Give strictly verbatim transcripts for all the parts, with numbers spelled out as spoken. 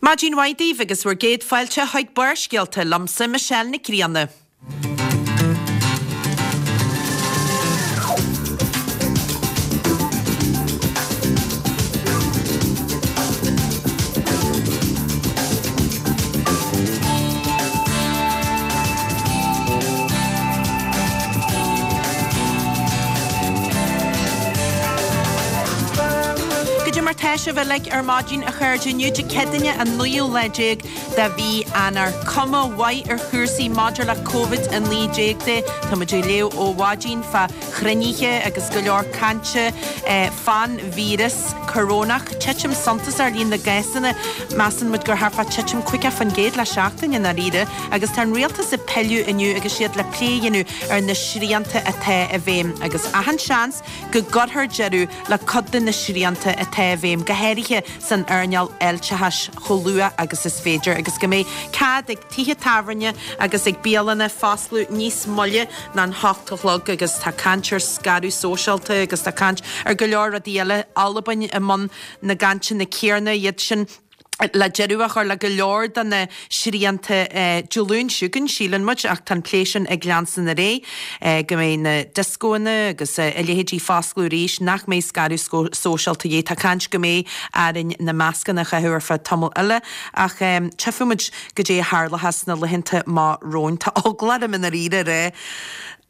Maidin mhaith daoibh agus bhur gcéad fáilte chuig Barrscéalta liomsa Michelle Nic Grianna. Goidé mar tá sibh uilig ar maidin a chairde inniu Dé Céadaoine an naoú lá déag de mhí Eanáir. Cuma mhaith ar chúrsaí maidir le Covid a naoi déag de. Tá muid ag léamh ó mhaidin fá chruinnithe agus go leor cainte fán víreas corónach. Titim suntasach ar líon na gcásanna. Measann muid gur thart fá titim caoga faoin gcéad le seachtain i ndáiríre agus tá an rialtas ag pilleadh inniu agus iad le plé a dhéanamh ar na srianta atá i bhfeidhm agus achan seans go gcuirfear deireadh le cuid de na srianta atá i bhfeidhm, go háirithe san earnáil fháilteachais, chomh luath agus is féidir agus go mbeidh cead ag tithe tábhairne agus ag bialanna foscladh níos moille ná an hocht a chlog agus tá caint ar scaradh sóisialta agus tá caint ar go leor rudaí eile, Albain i mbun na gcainteanna céanna, iad sin le deireadh a chur le go leor de na srianta Dé Luain seo chugainn, síleann muid, ach tá an plé sin ag leanstan ar aghaidh, go mbeidh na dioscóanna agus a leithéidí foscladh arís, nach mbeidh scaradh sóisialta de dhíth. Tá caint go mbeidh orainn na mascanna a chaitheamh ar feadh tamall eile, ach tchífidh muid goidé a tharlóchas sna laethanta amach romhainn. Tá eagla orm i ndáiríre a rá.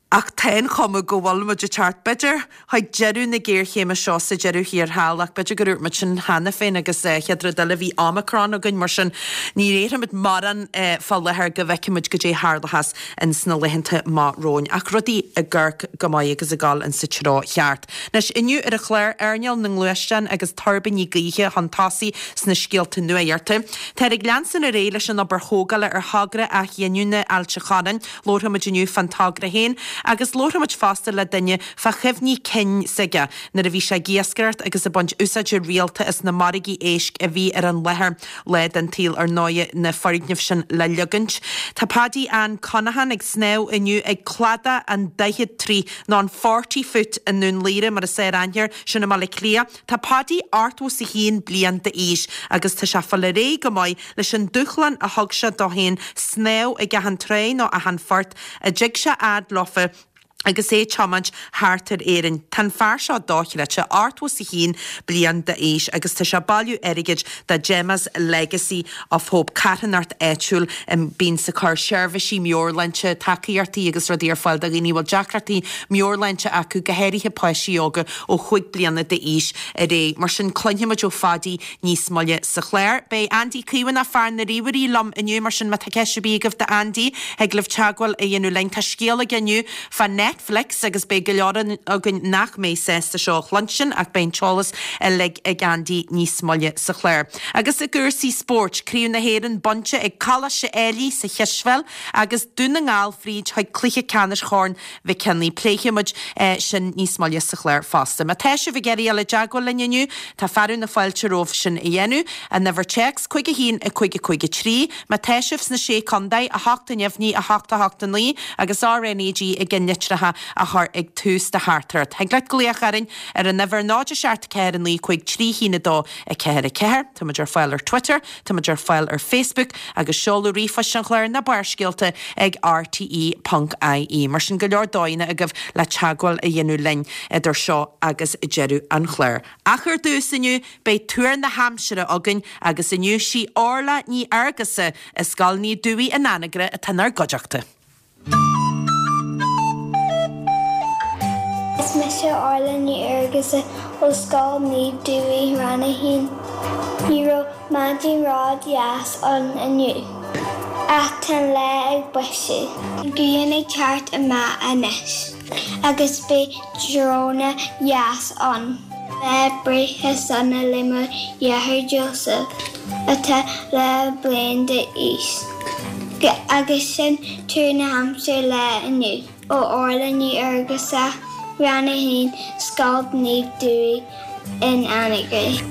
Ach tá an chuma go bhfuil muid ag teacht, b'fhéidir, chuig deireadh na géarchéime seo sa deireadh thiar thall, ach b'fhéidir gur dhúirt muid sin cheana féin agus chéad rud eile bhí Omicron againn, mar sin ní déarfaimid mórán fá láthair go bhfeicfimid goidé a tharlóchas ins na laethanta amach romhainn. Ach rudaí ag amharc go maith agus ag dul insa treo cheart. Anois, inniu ar an chlár, earnáil na ngluaisteán agus tuirbíní gaoithe chun tosaigh sna scéalta nuachta. Táthar ag leanstan ar aghaidh leis an obair thógála ar thogra athghiniúna Ailt an Chorráin. Labharfaimid inniu fán togra féin agus labharfaimid fosta le duine fá chuimhní cinn s'aige nuair a bhí sé ag iascaireacht agus ag baint úsáide rialta as na margaí éisc a bhí ar an láthair lá den tsaol ar ndóigh na foirgnimh sin le leagaint. Tá Paddy Ann Conaghan ag snámh inniu ag cladach an daichead troigh nó an forty foot i nDún Laoghaire mar is fearr aithne air sin i mBaile Átha Cliath. Tá Paddy ochtó 's a haon bliain d'aois agus tá sé ag fáil ar aghaidh go maith leis an dúshlán a thug sé dó féin snámh ag achan tráigh nó achan phort a dtig sé fhad leofa agus é ag tiomáint thart ar Éirinn. Tá an fear seo dochreidte, ochtó 's a haon bliain d'aois agus tá sé ag bailiú airgid do Gemma's Legacy of Hope, carthanacht áitiúil a bíonns ag cur seirbhísí meabhairshláinte, tacaíochtaí agus rudaí ar fáil do dhaoine a bhfuil deacrachtaí meabhairshláinte acu, go háirithe páistí óga ó chúig bliana d'aois ar aghaidh. Mar sin cluinfimid ó Phaddy níos moille sa chlár. Beidh Andy Caomhánach, fear na ríomhairí, liom inniu, mar sin má tá ceist ar bith agaibh d'Andy, thig libh teagmháil a dhéanamh linn. Tá scéal aige inniu fá Netflix agus beidh go leor againn nach mbeidh sásta seo a chluinstin ach beidh an t-eolas uilig ag Andy níos moille sa chlár. Agus i gcúrsaí spóirt, Craobh na hÉireann bainte ag Coláiste Éilí sa chispheil agus Dún na nGall fríd chuig cluiche ceannais Chorn Mhic Cionnaith. Pléifidh muid sin níos moille sa chlár fosta. Má tá sibh ag iarraidh dul i dteagmháil linn inniu, tá fearadh na fáilte romhaibh sin a dhéanamh. An uimhir téacs, cúig a haon, a cúig a cúig a trí. Má tá sibh sna Sé Contae, a hocht a neamhní, a hocht a hocht a naoi agus RnaG i gceannlitreacha a chur ag tús do theachtaireacht. Thig leat glaoch orainn ar an uimhir náid a seacht ceathair a naoi cúig trí haon a dó a ceathair a ceathair. Tá muid ar fáil ar Twitter, tá muid ar fáil ar Facebook agus seoladh ríomhphoist an chláir ná Barrscéalta ag rte ponc ie. Mar sin go leor dóigheanna agaibh le teagmháil a dhéanamh linn idir seo agus deireadh an chláir. Ach ar dtús inniu beidh tuar na haimsire againn agus inniu sí Orla Ní Fhearghusa as Scoil Naomh Dubhthaigh in Anagaire atá inár gcuideachta. Is mise Orla Ní Fhearghusa ó Scoil Naomh Dubhthaigh, Rang a haon. Ní raibh maidin ró-dheas ann inniu, ach tá an lá ag boiseadh. An ghrian ag teacht amach anois agus beidh tráthnóna dheas ann. Lá breithe sona le mo dheartháir Joseph, atá dhá bhliain d'aois. Agus sin tuar na haimsire lá inniu ó Orla Ní Fhearghusa, Rang a haon, Scoil Naomh Dubhthaigh in Anagaire.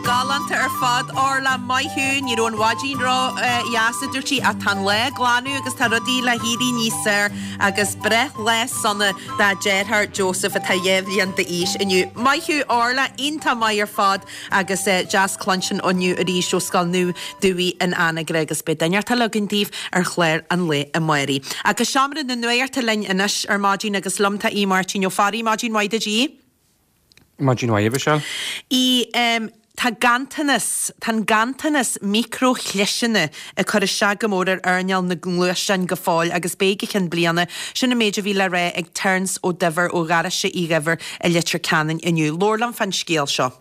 Galánta ar ar fad Orla maith thú ní raibh an mhaidin ró-dheas a dúirt sí ach tá an lá ag glanadh agus tá rudaí le héirí níos fearr agus breithlá sona dá deartháir Joseph atá dhá bhliain d'aois inniu. Maith thú Orla iontach maith ar fad agus eh, deas cluinstin inniu arís ó Scoil Naomh Dubhaí in Anagaire agus beidh duine eile againn daoibh ar chlár an lae amárach. Agus seomra na nuachta linn anois ar maidin agus liom tá Aodh Máirtín Ó Fearraigh maidin mhaith duit a Aodh. Maidin mhaith Michelle. I um, Tá ganntanas Tá ganntanas micreachliseanna ag cur isteach go mór ar earnáil na ngluaisteán go fóill agus beidh go ceann bliana sin an méid a bhí le rá ag Terence Ó Duibhir ó Gharáiste Uí Dhuibhir i Leitir Ceanainn inniu. Labhair liom fán scéal seo.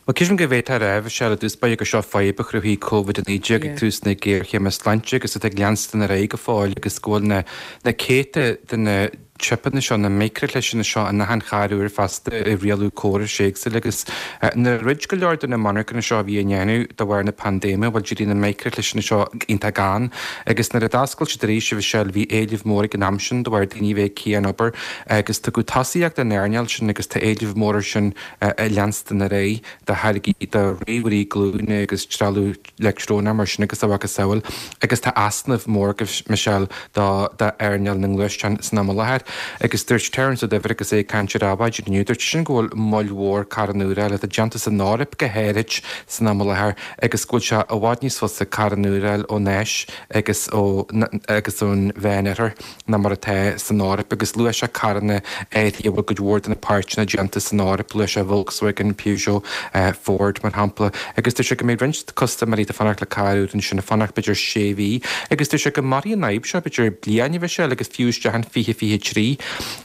Well císim go bhétar rah sé le dúspa go seo fadhb a chruthaigh COVID a naoi déag ag tús na géarchéime sláinte agus atá ag leanstan ar aghaidh go fóill agus go bhfuil na na céadta de na chipeanna seo na micreachliseanna seo in achan charr úr fosta i rialú córais éagsúla agus nuair a dhruid go leor de na monarchana seo a bhí á ndéanamh de bharr na paindéime bhuel d'éirigh na micreachliseanna seo iontach gann agus nuair a d'oscail siad arís a Mhichelle bhí éileamh mór ag an am sin de bharr daoine bheith cianobair agus tugadh tosaíocht don earnáil sin agus tá éileamh mór sin ag leanstan ar aghaidh do tháirgí do ríomhairí glúine agus trealamh leictreonach mar sin agus a mhacasamhail agus tá easnamh mór Michelle do d'earnáil na ngluaisteán san am i láthair. Agus dúirt Terence Ó Duibhir agus é ag caint ar Adhmhaidin inniu, dúirt sin go bhfuil moill mhór carranna úra atá déanta san Eoraip go háirid san am i láthair agus go bhfuil sé i bhfad níos fusa carranna úra a fháil ón Áis agus ó agus ón Mheánoirthear ná mar atá san Eoraip agus luaigh sé carranna áirithe a bhfuil cuid mhór de na páirteanna déanta san Eoraip, luaigh sé Volkswagen, Peugeot, uh, Ford mar shampla, agus dúirt sé go mbeidh roinnt custaiméirí atá ag fanacht le carr úr ansin ag fanacht b'fhéidir sé mhí, agus dúirt sé go mairfidh an fhadhb seo b'fhéidir bliain a Mhichelle agus fiú isteach in fiche fiche trí.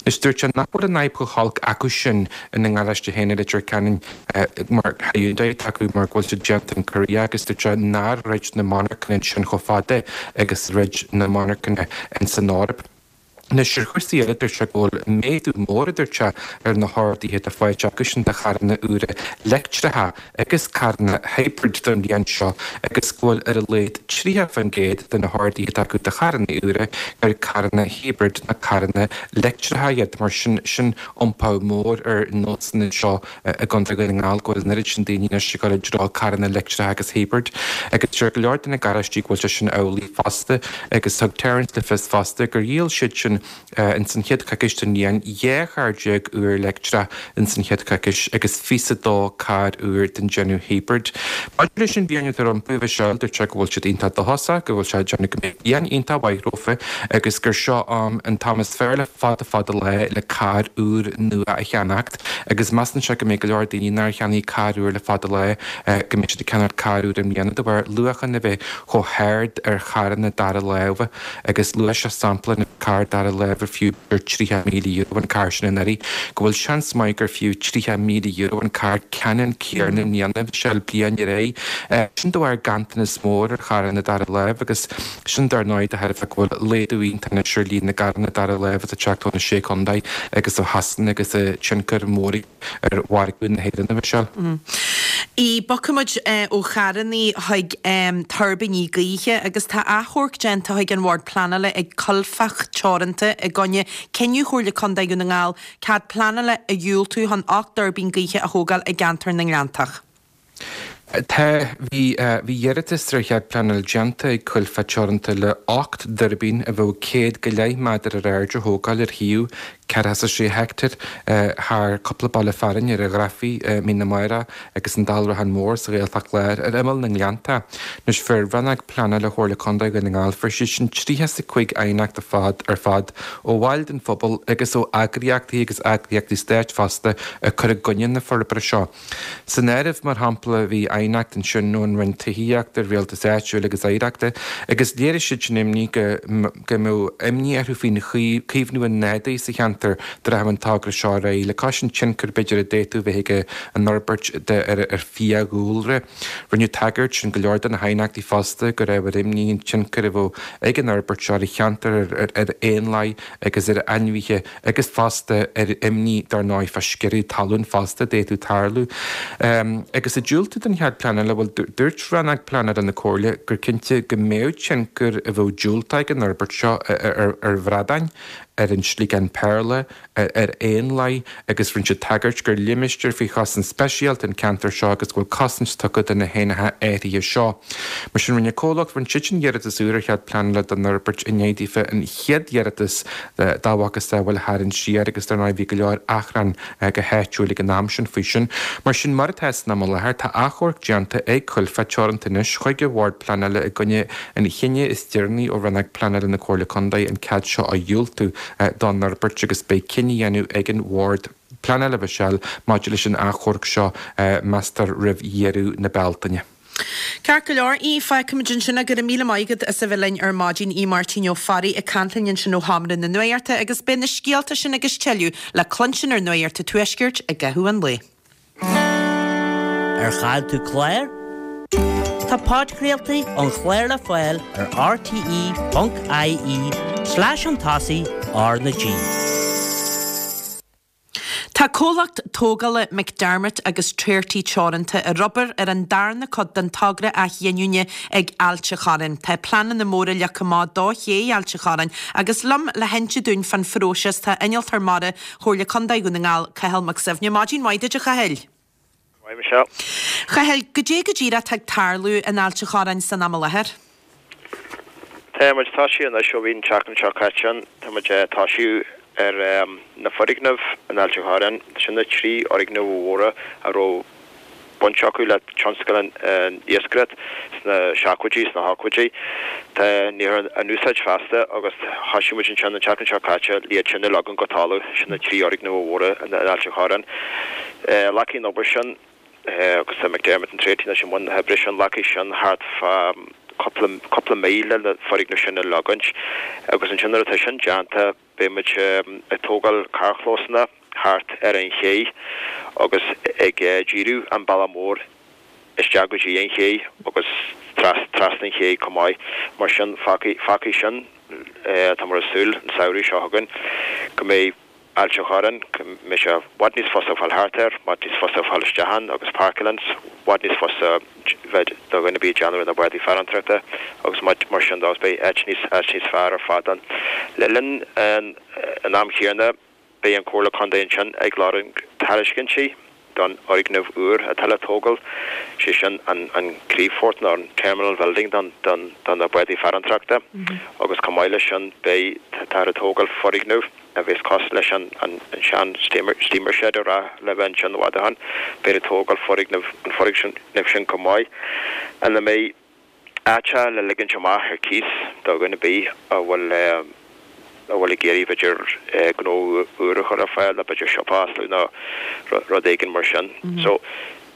Is dúirt sé nach bhfuil an fhadhb chomh holc acu sin ina ngaráiste féin i Leitir Ceanainn mar Hyundai acu mar go bhfuil siad déanta in Korea agus dúirt sé nár dhruid na monarchana sin chomh fada agus dhruid na monarchana in san Eoraip. Anois ar chúrsaí eile dúirt sé go bhfuil méadú mór a dúirt sé ar na horduithe atá faighte acu sin de charranna úra leictreacha agus carranna hybrid don bhliain seo agus go bhfuil ar a laghad tríocha faoin gcéad de na horduithe atá acu de charranna úra ar carranna hybrid na carranna leictreacha iad mar sin sin iompú mór ar nósanna seo i gContae Dhún na nGall go bhfuil an oiread sin daoine anois ag dul i dtreo carranna leictreacha agus hybrid agus deir go leor de na garáistí go bhfuil sé sin amhlaidh fosta agus thug Terence le fios fosta gur dhíol siad sin in san chéad choicís den bhliain dhá charr déag úr leictreach in san chéad choicís agus fiche dó carr úr den déanamh hybrid. Maidir leis an bhliain atá rompu a Mhichelle dúirt sé go bhfuil siad iontach dóchasach go bhfuil sé ag déanamh go mbeidh bliain iontach mhaith rompu agus gur seo am an t-am is fearr le fada fada lá le carr úr nua a cheannacht agus measann sé go mbeidh go leor daoine nár cheannaigh carr úr le fada lá go mbeidh siad ag ceannacht carr úr i mbliana de bharr luachan a bheith chomh hard ar charranna dara láimhe agus luaigh sé sampla na carr dara láimhe fiú ar tríocha míle euro an carr sin anuraidh, go bhfuil seans maith gur fiú tríocha míle euro an carr ceannann céanna i mbliana Michelle bliain ar aghaidh. Sin de bharr ganntanas mór ar charranna dara láimh agus sin dar ndóigh de thairbhe go bhfuil laghdú iontach anois ar líon na gcarranna dara láimh atá ag teacht ó na sé chontae agus ó Shasana agus tionchar mór ar mhargadh na hÉireann a Mhichelle. I bogfaimid ó charranna chuig tuirbíní gaoithe agus tá achomharc déanta chuig an Bhord Pleanála ag Coilfeach Teoranta i gcoinne cinneadh Chomhairle Contae Dhún na nGall cead pleanála a dhiúltú chun ocht dtuirbín gaoithe a thógáil i gceantar na nGleanntach. Tá bhí bhí iarratas ar chead pleanála déanta ag Coilfeach Teoranta le ocht dtuirbín a bheadh céad go leith méadar ar airde a thógáil ar shuíomh ceathracha sé heicteár thar cúpla baile fearainn ar an Ghrafaidh, Mín na Máire agus an Dálrachán Mór sa Ghaeltacht Láir ar imeall na nGleannta. Anois fuair Rannóg Pleanála Chomhairle Contae Dhún na nGall fuair siad sin tríocha is a cúig aighneacht ar fad ar fad ó bhaill den phobal agus ó eagraíochtaí agus eagraíochtaí stáit fosta ag cur i gcoinne na forbartha seo. San áireamh mar shampla bhí aighneacht ansin ón Roinn Tithíochta, Rialtais Áitiúil agus Oidhreachta agus léirigh siad sin imní go go mbeadh imní orthu faoin chaomhnú an nádúir sa cheantar dá rachadh an togra seo ar aghaidh le cois an tionchar b'fhéidir a d'fhéadfadh bheith ag an fhorbairt de ar ar fiadhúlra. Rinneadh tagairt in go leor de na haighneachtaí fosta go raibh ar imní an tionchar a bheadh ag an fhorbairt seo ar an cheantar ar ar éanlaith agus ar ainmhithe agus fosta ar imní dar ndóigh fá sciorradh talún fosta d'fhéadfadh tarlú. Agus ag diúltú don chead pleanála bhuel dúirt Rannóg Pleanála na Comhairle gur cinnte go mbeadh tionchar a bheadh diúltach ag an fhorbairt seo ar ar bhradáin, ar an Sliogán Péarla, ar éanlaith agus rinne siad tagairt gur limistéar faoi chosaint speisialta an ceantar seo agus go bhfuil cosaint tugtha do na héanacha áirithe seo. Mar sin rinne comhlacht rinne siad sin iarratas úr ar chead pleanála don fhorbairt i ndiaidh daofa an chéad iarratas dá mhacasamhail a tharraingt siar agus dar ndóigh bhí go leor achrann go háitiúil ag an am sin faoi sin. Mar sin mar atá san am i láthair tá achomharc déanta ag Coillfeá Teoranta anois chuig an Bhord Pleanála i gcoinne an chinnidh is deireanaí ó Rannóg Pleanála na Comhairle Contae an cead seo a dhiúltú don fhorbairt agus beidh cinneadh á dhéanamh ag an Bhord Pleanála Mhichelle maidir leis an achomharc seo meastar roimh dheireadh na Bealtaine. Ceart go leor, Aodh, fágfaimid ansin é. Go raibh míle maith agat as a bheith linn ar maidin, Aodh Máirtín Ó Fearraigh ag caint linn ansin ó Sheomra na Nuachta agus beidh na scéalta sin agus tuilleadh le cluinstin ar Nuacht an Tuaiscirt i gcaitheamh an lae. Ar chaill tú clár? Tá podchraoltaí an chláir le fáil ar rte ponc ie slash chun tosaigh R na G. Tá comhlacht tógála McDermott agus Treorchy Teoranta ag obair ar an darna cuid den togra athghiniúna ag Ailt an Chorráin. Tá pleananna móra leagtha amach do ché Ailt an Chorráin agus liom le hinse dúinn fán phróiseas tá Innealtóir Mara Chomhairle Contae Dhún na nGall, Cathal Mac Suibhne. Maidin mhaith duit a Chathail. Maith Michelle. Chathail, goidé go díreach atá ag tarlú in Ailt an Chorráin san am i láthair? Tá muid tosaithe anois ó bhí an tseachtain seo caite ann. Tá muid ag tosú ar na foirgnimh in Ailt an Chorráin. Sin na trí fhoirgneamh mhóra a raibh baint acu le tionscal an iascaireacht sna seachtóidí, sna hochtóidí. Tá níl in úsáid feasta agus thosaigh muid ansin an tseachtain seo caite le iad sin a leagan go talamh, sin na trí fhoirgneamh mhóra in Ailt an Chorráin. Glacfaidh an obair sin agus tá McDermott and Treorchy anois i mbun na hoibre sin, glacfaidh sin thart fá cúpla cúpla mí le na foirgnimh sin a leagaint agus ansin nuair atá sin déanta beidh muid ag tógáil carrchlósanna thart ar an ché agus ag díriú an bealach mór isteach go dtí an ché agus trasna an ché chomh maith. Mar sin fágfaidh fágfaidh sin tá muid ag súil an samhradh seo chugainn go mbeidh Ailt an Chorráin, go mbeidh sé i bhfad níos fusa fáil thart air, i bhfad níos fusa fáil isteach ann agus páirceáil ann, i bhfad níos fusa bheith do dhuine ar bith ag déanamh ar na bádaí farantóireachta agus mar sin de agus beidh áit níos áit níos fearr ar fad ann. Le linn an an am chéanna beidh an Comhairle Contae ansin ag lorg tairiscintí don fhoirgneamh úr atá le tógáil, sé sin an an criomhphort nó an terminal building don don do na bádaí farantóireachta agus chomh maith leis sin beidh táthar ag tógáil foirgneamh a bheas cosúil leis an an sean steamer steamer shed a raibh le bheith ansin i bhfad ó shin. Beidh ag tógáil foirgneamh an foirgneamh sin chomh maith ina mbeidh áiteacha le ligint amach ar cíos do dhuine ar bith a bhfuil a bhfuil ag iarraidh b'fhéidir gnó úr a chur ar fáil nó b'fhéidir siopa a oscailt nó rud éigin mar sin. So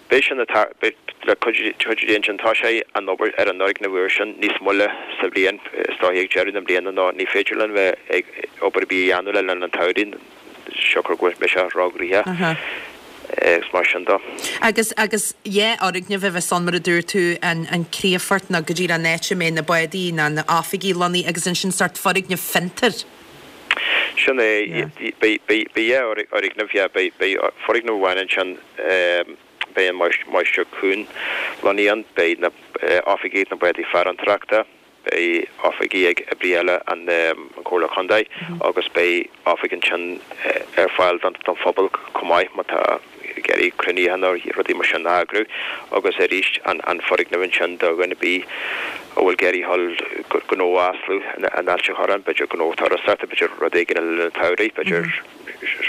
beidh sin beidh le cuid cuid ansin tá sé an obair ar an fhoirgneamh úr sin níos moille sa bhliain is dóichí ag deireadh na bliana nó ní féidir linn bheith ag obair ar bith a dhéanamh le linn an tsamhraidh siocair go bhfuil sé róghnoitheach agus mar sin de. Agus agus dhá fhoirgneamh a bheas ann mar a dúirt tú an an criomhphort nó go díreach an áit a mbeidh na bádaí nó na oifigí lonnaithe agus ansin sórt foirgneamh fiontair. Sin é beidh beidh beidh dhá fhoirgneamh yeah beidh beidh foirgneamh amháin ansin beidh an Máistir Cuan lonnaithe ann, beidh na oifigí ag na bádaí farantóireachta, beidh oifigí ag oibrithe eile an Chomhairle Contae agus beidh oifig ansin ar fáil don phobal chomh maith má tá ag iarraidh cruinnithe nó rudaí mar sin a eagrú agus arís an foirgneamh ansin do dhuine ar bith a bhfuil ag iarraidh dhul gnó a osclú in Ailt an Chorráin, b'fhéidir gnó turasóireachta, b'fhéidir rud éigin le linn an tsamhraidh, b'fhéidir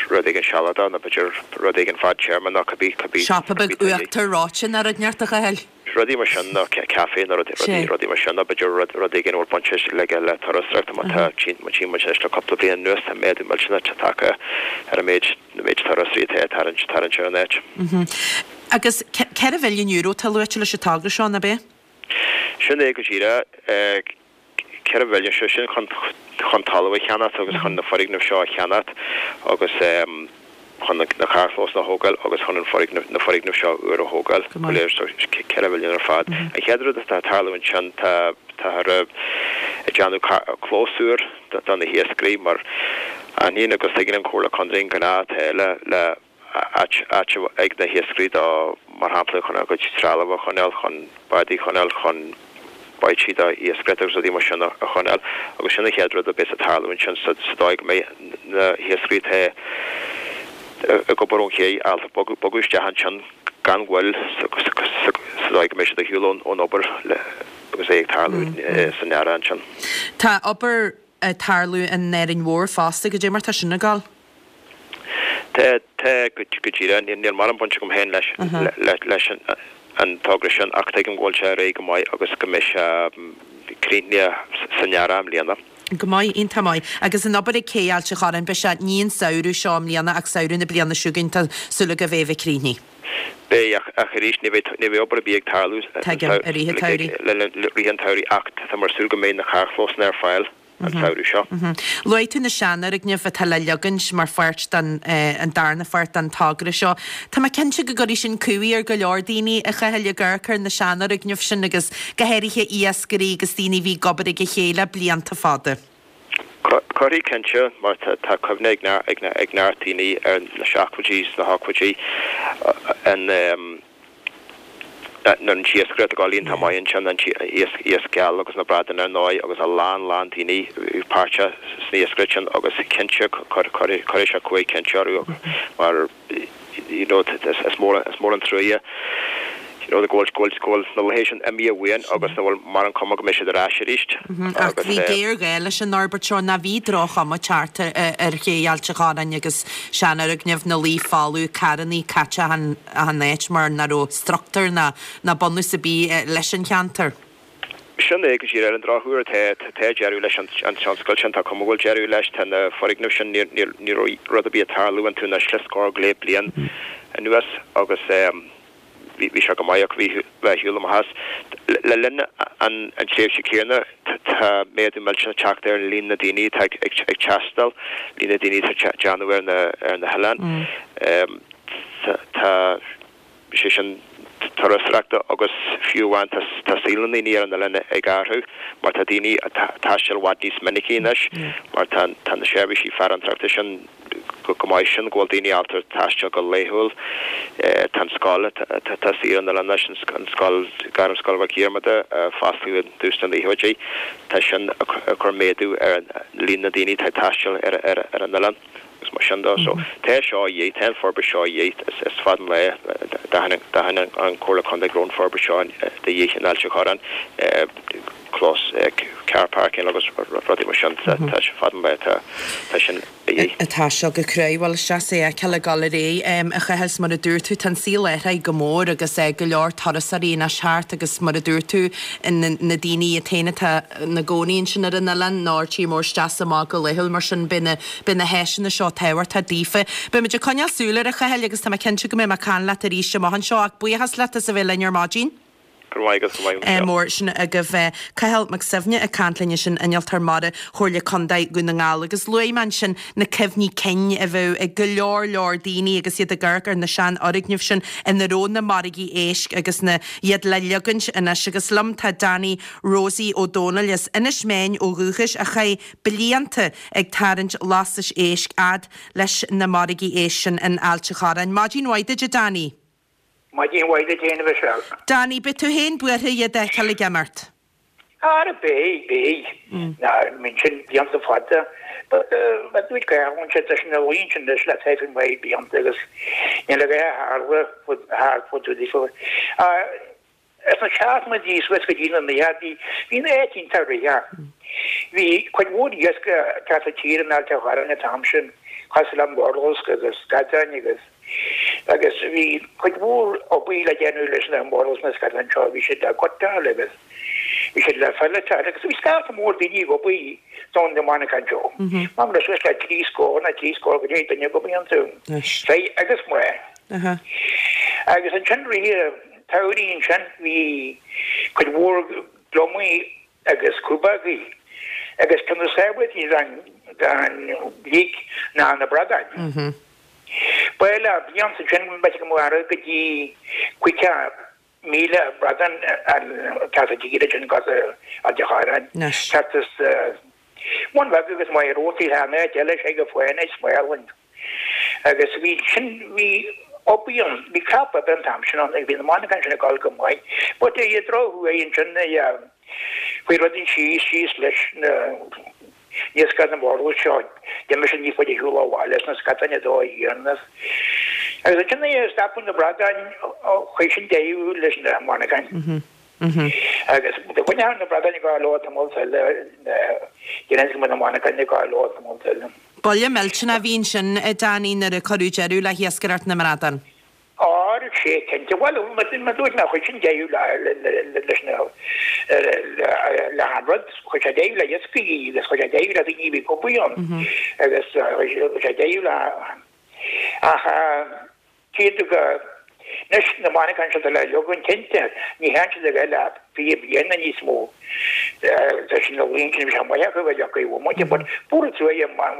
rud éigin sealadach nó b'fhéidir rud éigin fadtéarma nó cibé cibé Siopa beag uachtar reoite nó rud inteacht a Chathail. Rudaí mar sin nó caife nó rudaí rudaí mar sin nó b'fhéidir rud rud éigin a bhfuil baint aige le turasóireacht má tá má tchíonn muid anois le cúpla bliain anuas tá méadú millteanach tagtha ar an méid na méid turasóirí atá ag tarraingt tarraingt ar an áit. Agus ceithre mhilliún euro atá luaite leis an togra seo, ab é? Sin é go díreach. Ceithre mhilliún, sé sin chun chun talamh a cheannacht agus chun na foirgnimh seo a cheannacht agus chun na carrchlósanna a thógáil agus chun an foirgneamh na foirgnimh seo úr a thógáil go léir so ceithre mhilliún ar fad. An chéad rud atá ag tarlú ansin tá táthar ag déanamh clós úr do na hiascairí mar aithníonn agus tuigeann an Chomhairle Contae an gá atá le le áit áit ag na hiascairí do mar shampla chun a gcuid trealamh a choinneáil, chun bádaí a choinneáil, chun báidí do iascaireacht agus rudaí mar sin a choinneáil agus sin an chéad rud a bheas ag tarlú ansin sa dóigh go mbeidh na hiascairí atá ag obair ón ché ábalta bogadh isteach ansin gan mhoill sa dóigh go mbeidh siad ar shiúl ón obair agus é ag tarlú san earrach ansin. Tá obair ag tarlú in Árainn Mhór fosta, goidé mar tá sin ag gabháil? Tá, tá, go díreach. Níl mórán baint agam féin leis leis an togra sin ach tuigim go bhfuil sé ar aghaidh go maith agus go mbeidh sé críochnaithe san earrach i mbliana. Go maith, iontach maith. Agus an obair ag Cé Ailt an Chorráin, beidh sé ní an samhradh seo i mbliana ach samhradh na bliana seo chugainn, tá súil agaibh é a bheith críochnaithe. Beidh, ach ach arís ní bheidh ní bheidh obair ar bith ag tarlú Tuigim, i rith an tsamhraidh. le rith an tsamhraidh ach tá muid ag súil go mbeidh na carrchlósanna ar fáil an samhradh seo. Luaigh tú na seanfhoirgnimh atá le leagaint mar pháirt den an darna pháirt den togra seo. Tá mé cinnte go gcuirfidh sin cumhaidh ar go leor daoine, a Chathail, ag amharc ar na seanfhoirgnimh sin agus go háirithe iascairí agus daoine a bhí ag obair ag a chéile blianta fada. Cuirfidh cinnte, mar tá cuimhne ag neart daoine ar na seachtóidí is na hochtóidí an nuair an t-iascaireacht ag dul iontach maith ansin, an t-iasc geal agus na bradáin ar ndóigh agus a lán lán daoine a bhí páirteach san iascaireacht sin agus cinnte cuirfidh sé cumhaidh cinnte orthu mar you know is mór is mór an truaighe you know go bhfuil go bhfuil go bhfuil na laethe sin imithe uainn agus nach bhfuil mórán cuma go mbeidh siad ar ais arís Ach agus bhí géarghá leis an fhorbairt seo, nó bhí droch-chuma ag teacht ar Ché Ailt an Chorráin agus seanfhoirgnimh ina luí folamh, carrannaí caite achan achan áit mar nach raibh struchtúr ná ná bunús ar bith leis an cheantar. Sin é go díreach. Ar an drochuair tá tá deireadh leis an tionscal sin, tá cuma go bhfuil deireadh leis, tá na foirgnimh sin, ní ní ní raibh rud ar bith ag tarlú iontu anois le scór go leith bliain anuas agus bhí bhí sé go maith ach bhí bheith ar shiúl amach as. Le linn an an tréimhse céanna tá méadú millteanach ag teacht ar líon na daoine atá ag ag ag taisteal, líon na daoine atá ag déanamh ar na ar na hoileáin. Tá sé sin turasóireachta agus fiú amháin tá saol na ndaoine ar an oileán ag athrú mar tá daoine ag taisteal i bhfad níos minicí anois mar tá tá na seirbhísí farantóireachta sin go go maith sin go bhfuil daoine ábalta taisteal go laethúil. Tá an scoil atá suite ar an oileán anois, an scoil Gairmscoil Mhic Dhiarmada a fosclaíodh i dtús na naochaidí, tá sin ag cur méadú ar líon na ndaoine atá ag taisteal ar ar an oileán. Agus mar sin de, so tá seo a dhíth, tá an forbairt seo a dhíth, is fada an lá d'aithin an Comhairle Contae go raibh an forbairt seo de dhíth in Ailt an Chorráin, clós, car parking agus rudaí mar sin, tá sé fada an lá tá sin a dhíth. Tá seo go cruaidh, bhuel is deas é a fheiceáil ag dul ar aghaidh, a Chathail, is mar a dúirt tú, tá an saol athraithe go mór agus go leor turasóirí anois thart agus mar a dúirt tú, na daoine iad féin atá ina gcónaí ansin ar an oileán nó ar tír mór isteach is amach go laethúil mar sin beidh na beidh na háiseanna seo tábhachtach daofa. Beidh muid ag coinneáil súil air a Chathail agus tá mé cinnte go mbeidh mé ag caint leat arís amach anseo ach buíochas leat as a bheith linn ar maidin. Go raibh maith agat, go raibh maith agat. Mór sin agaibh. Cathal Mac Suibhne ag caint linn ansin, Innealtóir Mara Chomhairle Contae Dhún na nGall agus luaigh mé ansin na cuimhní cinn a bheadh ag go leor leor daoine agus iad ag amharc ar na seanfhoirgnimh sin ina raibh na margaí éisc agus na iad le leagaint anois agus liom tá Danny Rosie Ó Dónaill as Inis Meáin ó dhúchas a chaith blianta ag tarraingt lastais éisc fhad leis na margaí éisc sin in Ailt an Chorráin. Maidin mhaith duit a Danny. Maidin mhaith duit féin a Mhichelle. Danny, beidh tú féin buartha iad a fheiceáil ag imeacht? Ara beidh, beidh. Ná, bíonn sin blianta fada. But but dúirt Cathal ansin, tá sin ina luí ansin anois le taifead maith blianta agus níl a dhath a tharla fud thart fud fud fud. Sna seachtóidí suas go dtí na naochaidí, bhí an áit iontach rithfeach. Bhí cuid mhór iasc ag teacht i dtír in Ailt an Chorráin an t-am sin, cosúil le murlasc agus scadáin agus agus bhí cuid mhór obair le déanamh leis na murlasc na scadáin seo, bhí siad le gutáil agus bhí siad le filletáil agus bhí scata mór daoine ag obair don na monarchana seo. Mar le suas le trí scór nó trí scór go leith duine ag obair iontu, fir agus mná. Agus ansin rith tsamhraidh ansin bhí cuid mhór gliomaigh agus crúbógaí agus ceann de sábháiltí den bhlic ná na bradáin. Ba le blianta ansin b'fhéidir go mbeadh go dtí caoga míle bradán ag teacht i dtír ansin go Ailt an Chorráin. Thart as Móin Bheag agus Maigh Rótaí an áit eile sé go fáinne smálin. Agus bhí sin, bhí obair ann, bhí crop oibre an t-am sin ann agus bhí na monarchana sin ag dul go maith. But ar an drochuair ansin Chuaigh rudaí síos, síos leis na iascach na murlús seo, d'imigh siad níos faide ar shiúl ó bhaile is na scadáin ag dó thiar is agus ansin nuair a stopadh na bradáin chuir sin deireadh leis na monarchain. Agus do choinneodh na bradáin ag gabháil leo tamall eile, déarfainn go mbeadh na monarchain ag gabháil leo tamall eile. Buille millteanach a bhí ansin, a Danny, nuair a cuireadh deireadh le hiascaireacht na mbradán. Á, sea, cinnte. Bhuel, mar a dúirt mé, chuir sin deireadh leis na, le han rud. Chuir sé deireadh le iascaigh agus chuir sé deireadh le daoine a bhí ag obair ann agus chuir sé deireadh le, ach cé go, anois na monarchain seo atá le leagan, cinnte, ní théann siad ar aghaidh le fiche bliain nó níos mó. Tá sin na laethanta, bhí sé maith acu a bheith acu i bhfomaite, but fuair tú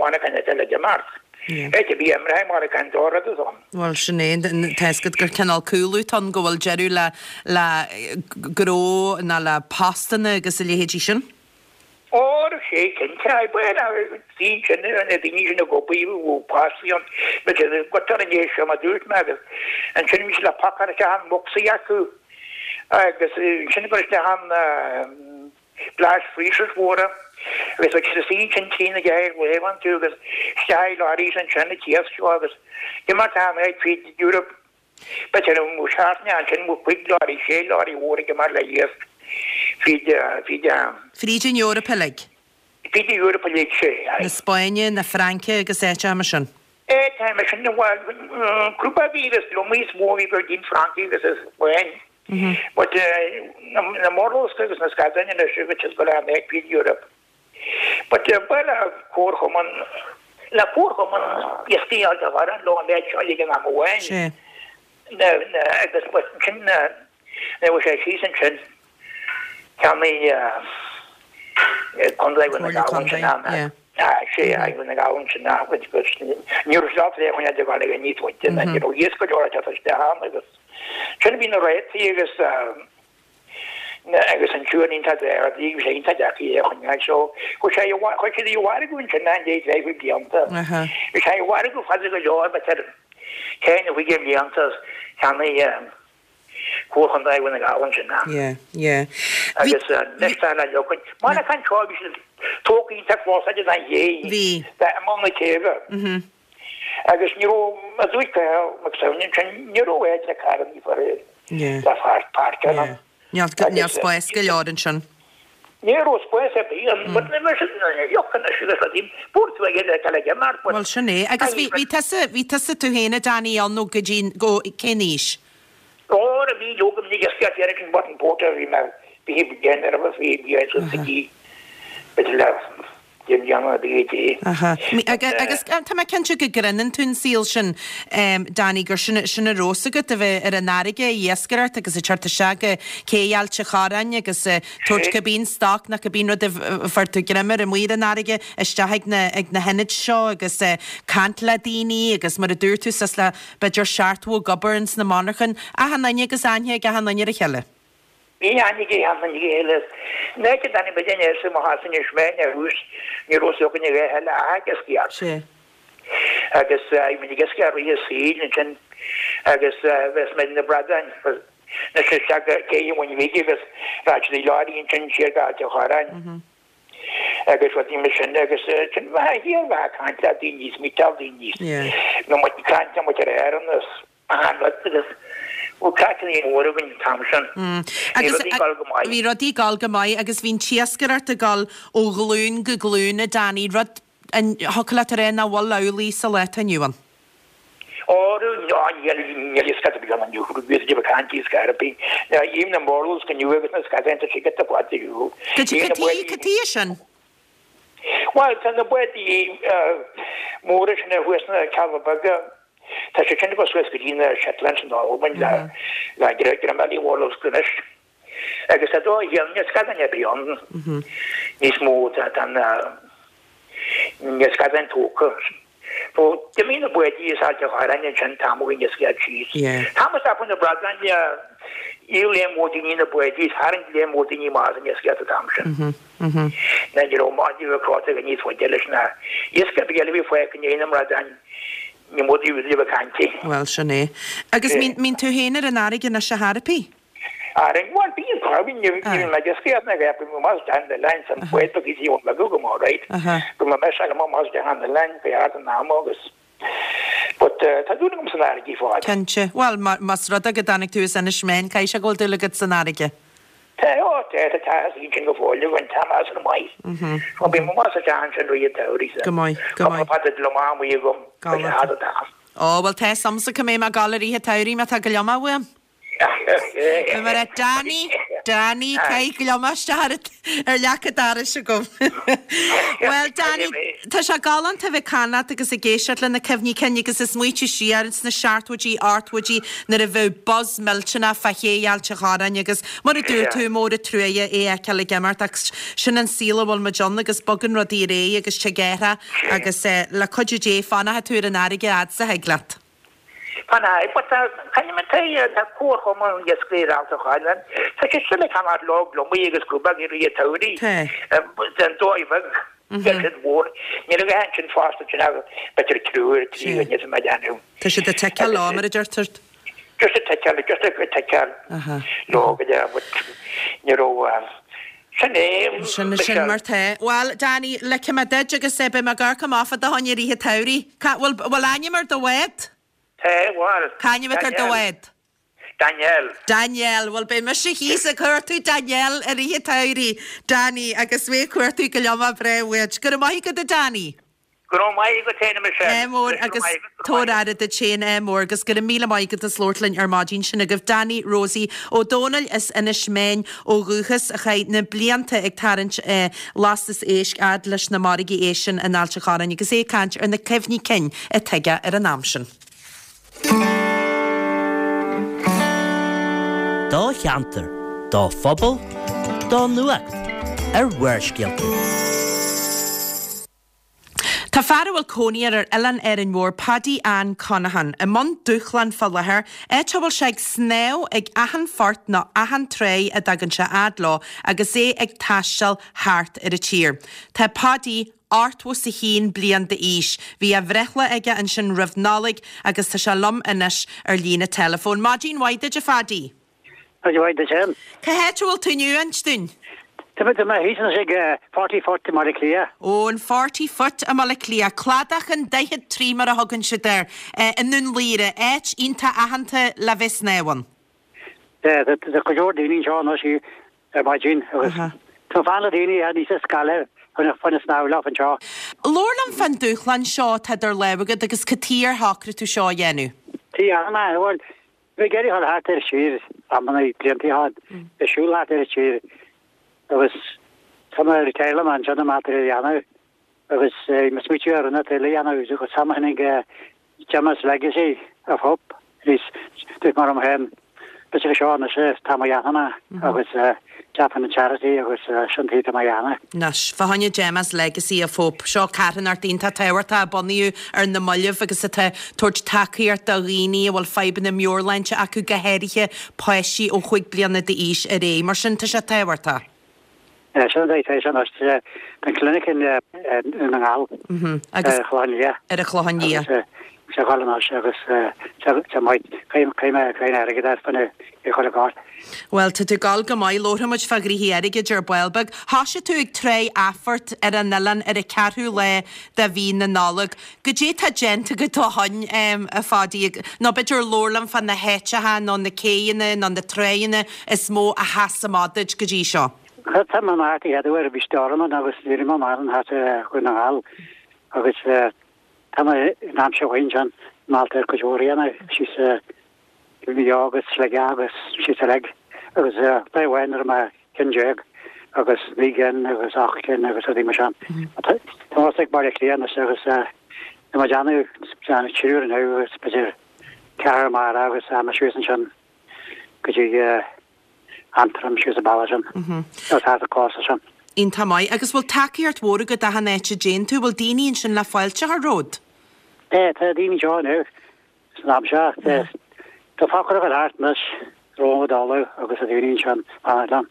monarchain atá le d'imeacht. Áit a bhí imithe monarchain dá rud is ann. Bhuel, sin é. Tá fhios agat gur cineál cúlú atá ann go bhfuil deireadh le le gnó ná le postanna agus a leithéidí sin. Ó, sea, cinnte. Bhuel, bhí sin, na daoine sin ag obair, bhí postaí ann. But go an é seo, mar dúirt mé, agus ansin bhí siad le pacáil isteach an bhocsaí acu agus ansin go isteach an blast freezers mhóra agus bheadh siad ag suí ansin trí na ceathair lae iontu agus isteach i lorries ansin an t-iasc seo agus d'imigh an áit fríd Europe b'fhéidir an mó seachtaine ansin mó cuig lorry sé lorry mhór ag imeacht le iasc fríd fríd an Fríd an Eoraip uilig. Fríd an Eoraip uilig sé. Na Spáinne, na Fraince agus áiteacha mar sin. Áiteacha mar sin bhuel crúba a bhí agus lomaí is mó a bhí ag dul dtí'n Fhrainc agus an Spáinn. But na murlúsca agus na scadáin anois agus siad go léir ag fríd Europe. But bhuel comharchumann le comharchumann iascaigh Ailt an Chorráin leo an méid seo ag an am amháin. Sea. Na na agus but ansin na na bhfuil sé síos ansin cheannaigh Contae Dhún na Comhairle Gall ansin Contae, an yeah. Sea, Dhún na Gall ansin agus ní raibh siad ábalta é a choinneáil ag gabháil níos faide ná ní raibh iasc go leor ag teacht isteach ann agus sin a bhí na rátaí agus agus an siúr iontach daor, bhí sé iontach deacair é a choinneáil so chuir sé chuir siad i mhargadh ansin i ndiaidh tréimhse blianta. Bhí sé i mhargadh fada go leor b'fhéidir ceithre nó cúig blianta cheannaigh Comhairle Chontae Dhún na Gall ansin. Yeah, yeah. Bhí Agus anois tá le leochaint. Monarchain seo bhí siad tógtha iontach close don ché. Bhí. D'imeall na céibhe. Mhm. Agus ní raibh, a dúirt Cathal Mac Suibhne ansin, ní raibh áit le carrannaí fir Yeah. le páirceáil Yeah. ann. Níl, níl spás go leor ansin. Ní raibh spás ar bith ann, but ní raibh siad ioc anois agus rudaí, fuair tú aige le le imeacht, but Bhuel, sin é. Agus bhí, bhí tusa, bhí tusa tú féin, a Danny, ann nó go dtí, go, cén aois? Óra bhí leoga minic a scaip ar an button porter bhí mé fiche bliain ar a fiche bliain sa city b'fhéidir le deich mbliana a bhí dé. Aha. Agus tá mé cinnte go gcreineann tú an saol sin, Danny, gur sin sin a raibh fhios agat, a bheith ar an fharraige ag iascaireacht agus ag teacht isteach go cé Ailt an Chorráin agus ag tabhairt cibé an stoc nó cibé an rud a fuair tú greim air amuigh ar an fharraige isteach ag na ag na hionaid seo agus caint le daoine agus mar a dúirt tú suas le b'fhéidir seachtmhadh ag obair ins na monarchain, achan duine agus aithne ag achan duine ar a chéile. Bhí aithne ag achan duine ar a chéile. Ní fhaca duine ar bith den aos mo chás anois mé ar thús, ní raibh fhios againn a dhath eile ach ag iascaireacht. Sea. Agus bhí muid ag iascaireacht i rith an tsaoil ansin agus bheas muid na bradáin anois isteach go Cé an Mhuin Bhig agus rachadh siad i leoraí ansin siar go Ailt an Chorráin. agus rudaí mar sin agus sin bheith thiar bheith ag caint le daoine is meetáil daoine Yeah. nó muid ag caint le muid ar Éirinn is achan rud agus bhí craic mór againn an t-am sin. Mm. Bhí Agus rudaí ag dul go maith. bhí rudaí ag dul go maith agus bhí an t-iascaireacht ag dul ó ghlúin go glúin a Danny, rud a thiocfadh leat a rá nach bhfuil amhlaidh sa lá atá inniu ann. Órú ná níl níl iascach ar bith ann inniu, bhí siad ag caint iascach ar bith. Ná even na murlúsc inniu agus na scadáin tá siad giota fada ar shiúl. Cad Even na cad báid cad tuige sin? Bhuel tá na báidí móra sin ar thuas na Cealla Beaga, tá siad sin ag dul suas go dtí na Shetlands in Albain le le greim eile murlúsc anois. Agus tá dóigh níl níl scadáin ar bith ann níos mó tá tá na níl scadáin tógtha. So d'imigh na báidí as Ailt an Chorráin ansin tamall níos gearr síos. Yeah. Thomas up na bradáin dhíol léim mór daoine na báidí is tharraing léim mór daoine amach as an iascaireacht an t-am sin. Mhm. Na ní raibh maith a bheith ag níos faide leis na iasc ar bith eile a bhí fágtha i ndiaidh na mbradáin ní mór daoibh a bheith ag caint. Bhuel, sin é. Agus Yeah. mbíonn mbíonn tú féin ar an fharraige anois a thairpí? Árainn, bhuel, bíonn corr, ní bhíonn mé ag iascaireacht na gceap, bhí mé down the line san bhfuil go dtí ón mbeagú go mór, right? Go mbeidh mise agam amach down the line fé ard an ama agus but tá dúil agam san fharraige fad. Cinnte. Bhuel, más rud é go dtáinig tú as Inis Meáin, caithfidh sé go bhfuil dúil agat san fharraige. Tá, ó, tá, tá, tá, is iad sin go fóill againn, tá mé as an maith. Bhuel, bím amach sa teach ansin rith an tsamhraidh sa. Go maith, go maith. Cúpla pota gliomach amuigh agam, tá sé thart an t-am. Ó, bhuel, tá 'fhios a'msa cá mbeidh mé ag gabháil i rith an tsamhraidh má tá gliomach uaim. Beidh mé ag rá, Danny, Danny, caith gliomach isteach ar ar leac an dorais agam. Bhuel, Danny, tá sé galánta a bheith ag caint leat agus ag éisteacht le na cuimhní cinn agus ag smaoitiú siar sna seachtóidí, ochtóidí nuair a bheadh buzz millteanach fá ché Ailt an Chorráin agus mar a dúirt tú, mór an truaighe é a fheiceáil ag imeacht ach sin an saol a bhfuil muid ann agus bogann rudaí ar aghaidh agus tig athrach agus le cuidiú Dé fanfaidh tú ar an fharraige a fhad 's a thig leat. Fanfaidh, but tá, tá, tá Comharchumann Iascairí Ailt an Chorráin, tá sé sin ag ceannach leo gliomaigh agus crúbóga i rith an tsamhraidh, den dóigh bheag, beidh siad mhór, níl a dhath ansin fosta, sin ach b'fhéidir triúr, trí dhuine sa mbeidh ann. Tá siad ag ticeáil leo, mar a deirtear. Just ag ticeáil, just ag ticeáil leo go deo, but ní raibh, sin é, Sin, sin mar tá. Bhuel, Danny, ligfidh mé duit agus beidh mé ag amharc amach fá do choinne i rith an tsamhraidh. Cá, bhfuil, bhfuil ainm ar do bhád? Tá, bhuel. Cá ainm atá ar do bhád? Danielle. Danielle, bhuel beidh mise thíos ag cuartú Danielle i rith an tsamhraidh, Danny, agus mé ag cuartú gliomach breá uait. Go raibh maith agat a Danny. Go raibh maith agat féin a Michelle. Ádh mór agus tabhair aire duit féin, ádh mór agus go raibh míle maith agat as labhairt linn ar maidin. Sin agaibh Danny Rosie Ó Dónaill as Inis Meáin ó dhúchas a chaith na blianta ag tarraingt lastas éisc fhad leis na margaí éisc sin in Ailt an Chorráin agus é ag caint ar na cuimhní cinn atá aige ar an am sin. Do cheantar, do phobal, do nuacht ar Bharrscéalta. Tá fear a bhfuil cónaí air ar Oileán Árainn Mhór, Paddy Ann Conaghan, i mbun dúshláin fá láthair, áit a bhfuil sé ag snámh ag achan phort nó achan tráigh a dtagann sé fhad leo agus é ag taisteal thart ar an tír. Tá Paddy ochtó 's a haon bliain d'aois. Bhí a bhreithlá aige ansin roimh Nollaig agus tá sé liom anois ar líne teileafóin. Maidin mhaith duit a Phaddy. Maidin mhaith duit féin. Cá háit a bhfuil tú inniu, inis dúinn? Tá mé thíos anois ag Forty Foot i mBaile Átha Cliath. Ó, an Forty Foot i mBaile Átha Cliath, Cladach an Daichead Trí mar a thugann siad air, i nDún Laoghaire, áit iontach aitheanta le bheith ag snámh ann. Tá go leor daoine anseo anois ar maidin agus tá fonn le daoine a níos scaile chun a snámh leo anseo. Labhair liom fán dúshlán seo atá idir lámha agat agus cad chuige ar shocraigh tú seo a dhéanamh. Tí anna, bhuel, bhí ag iarraidh dhul thart ar tír amanna blianta ó shin, ag siúl thart ar an tír agus tá mé ar teaghlaim ansin amach ar a dhéanamh agus mé smaoitiú ar an eile a dhéanamh agus tá mé tháinig Gemma's Legacy of Hope níos dúirt mar am féin b'fhéidir seo anois tá mo dhéanamh agus ceapann an charity agus sin taobh tá mo dhéanamh. Anois, fá choinne Gemma's Legacy of Hope, seo carthanacht iontach tábhachtach a bunaíodh ar na mallaibh agus atá ag tabhairt tacaíocht do dhaoine a bhfuil fadhbanna meabhairshláinte acu, go háirithe páistí ó chúig bliana d'aois ar aghaidh. Mar sin, tá sé tábhachtach. Sin an dóigh sin anois. Tá an clinic i nDún na nGall, ar an Chlochán Liath. Ar an Chlochán Liath. Agus sé dhul anois agus tá maith, caithfidh mé crainn airgid a fáil i chuile chás. Bhuel, tá tú ag dul go maith. Labharfaidh muid fá ghnoithí airgid ar ball beag. Thoisigh tú ag Tráigh Athphort ar an oileán ar an ceathrú lá de mhí na Nollag. Goidé tá déanta agat ó shoin, a Phadaí, nó b'fhéidir labhair liom fá na háiteacha nó na céidheanna nó na tráigheanna is mó a sheas amach duit go dtí seo? Tá mé amach an chéad uair, bhí stoirm ann agus ní raibh mé amach an thart ar Dhún na nGall agus tá mé in aimsir mhaith ansin, meallta ar cuid mhór a dhéanamh síos Mhaigh Eo agus Sligeach agus síos uilig agus lá amháin nuair a mé ceann déag agus naoi gcinn agus ocht gcinn agus rudaí mar sin. Tá mé ag Baile Átha Cliath anois agus tá mé ag déanamh déanamh triúr inniu agus b'fhéidir ceathrar amárach agus tá mé síos ansin go dtí Antrim síos an bealach sin agus thart an cósta sin. Iontach maith. Agus bhfuil tacaíocht mhór agat achan áit a dtéann tú? Bhfuil daoine ansin le fáilte a chur romhat? Tá, tá daoine anseo inniu san am seo. Tá, tá focrach ar thart anois romham ag dul agus tá daoine ansin fanacht liom.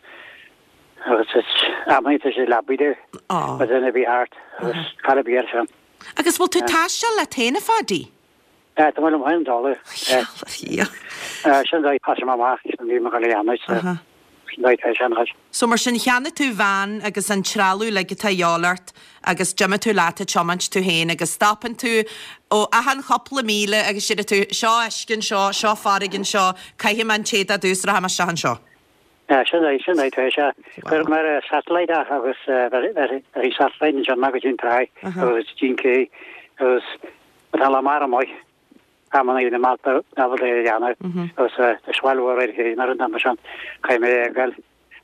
Agus is amannaí tá sé leabaidh domh Á. mar duine a bhí thart agus caithfidh bia air sin. Agus bhfuil tú ag taisteal leat féin a Phadaí? Tá mé liom féin dála. Sin dóigh thosaigh mé amach sin bhí mé ag dul a dhéanamh sin dóigh tá sé anois. So mar sin cheannaigh tú veain agus an trealamh uilig atá a dhíobháil ort agus d'imigh tú leat ag tiomáint tú féin agus stopann tú ó achan chúpla míle agus deir tú seo uisce anseo, seo farraige anseo, caithfidh mé an téad a dtús rachaidh mé isteach anseo. Sin dóigh, sin dóigh tá sé. Chuir mé ar satellite é agus bhí satellite ansin go dtí an tráigh agus dtí an cé agus tá lá mar amuigh. Amanna na malta ábalta é a dhéanamh agus tá swell mhór ar chéin ar an am sin caithfidh mé é a fháil.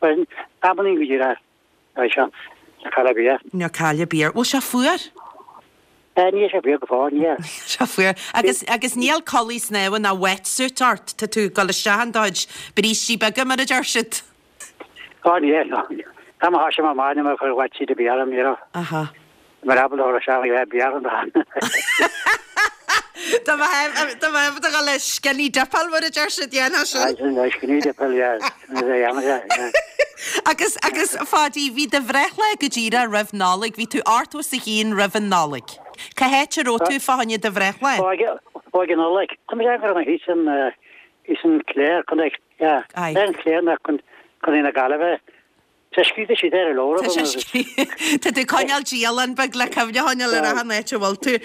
Bhuel, amanna go dtí é seo tá cailleadh ar bith. Níor cailleadh ar bith. Bhfuil sé fuar? Níl sé fuar go fóill, níl. Sé fuar. Agus agus níl culaith snámha ná wetsuit ort, tá tú ag dul isteach in do chuid brístí beaga mar a deir siad. Ó níl, tá mo thoisigh mé amach níl mé ag cur wetsuit ar bith orm, you know. Aha. Mar ábalta a isteach le bear an dan. Tá mé ag dul le skinny dipáil mar a deir siad dhéanamh sin. Skinny dipáil, yeah. Agus agus a Pháidí, bhí do bhreithlá go díreach roimh Nollaig, bhí tú ochtó is a haon roimh an Nollaig. Cá háit a raibh tú fá choinne do bhreithlá? Ó, ag an Nollaig. Tá mé ag an thíos an thíos an Clare, Contae, yeah. An Clare na Contae na Gaillimhe. Tá scríte siad ar a leabhar agam agus. Tá tú ag coinneáil dialann beag le cuimhne a choinneáil ar achan áit a bhfuil tú.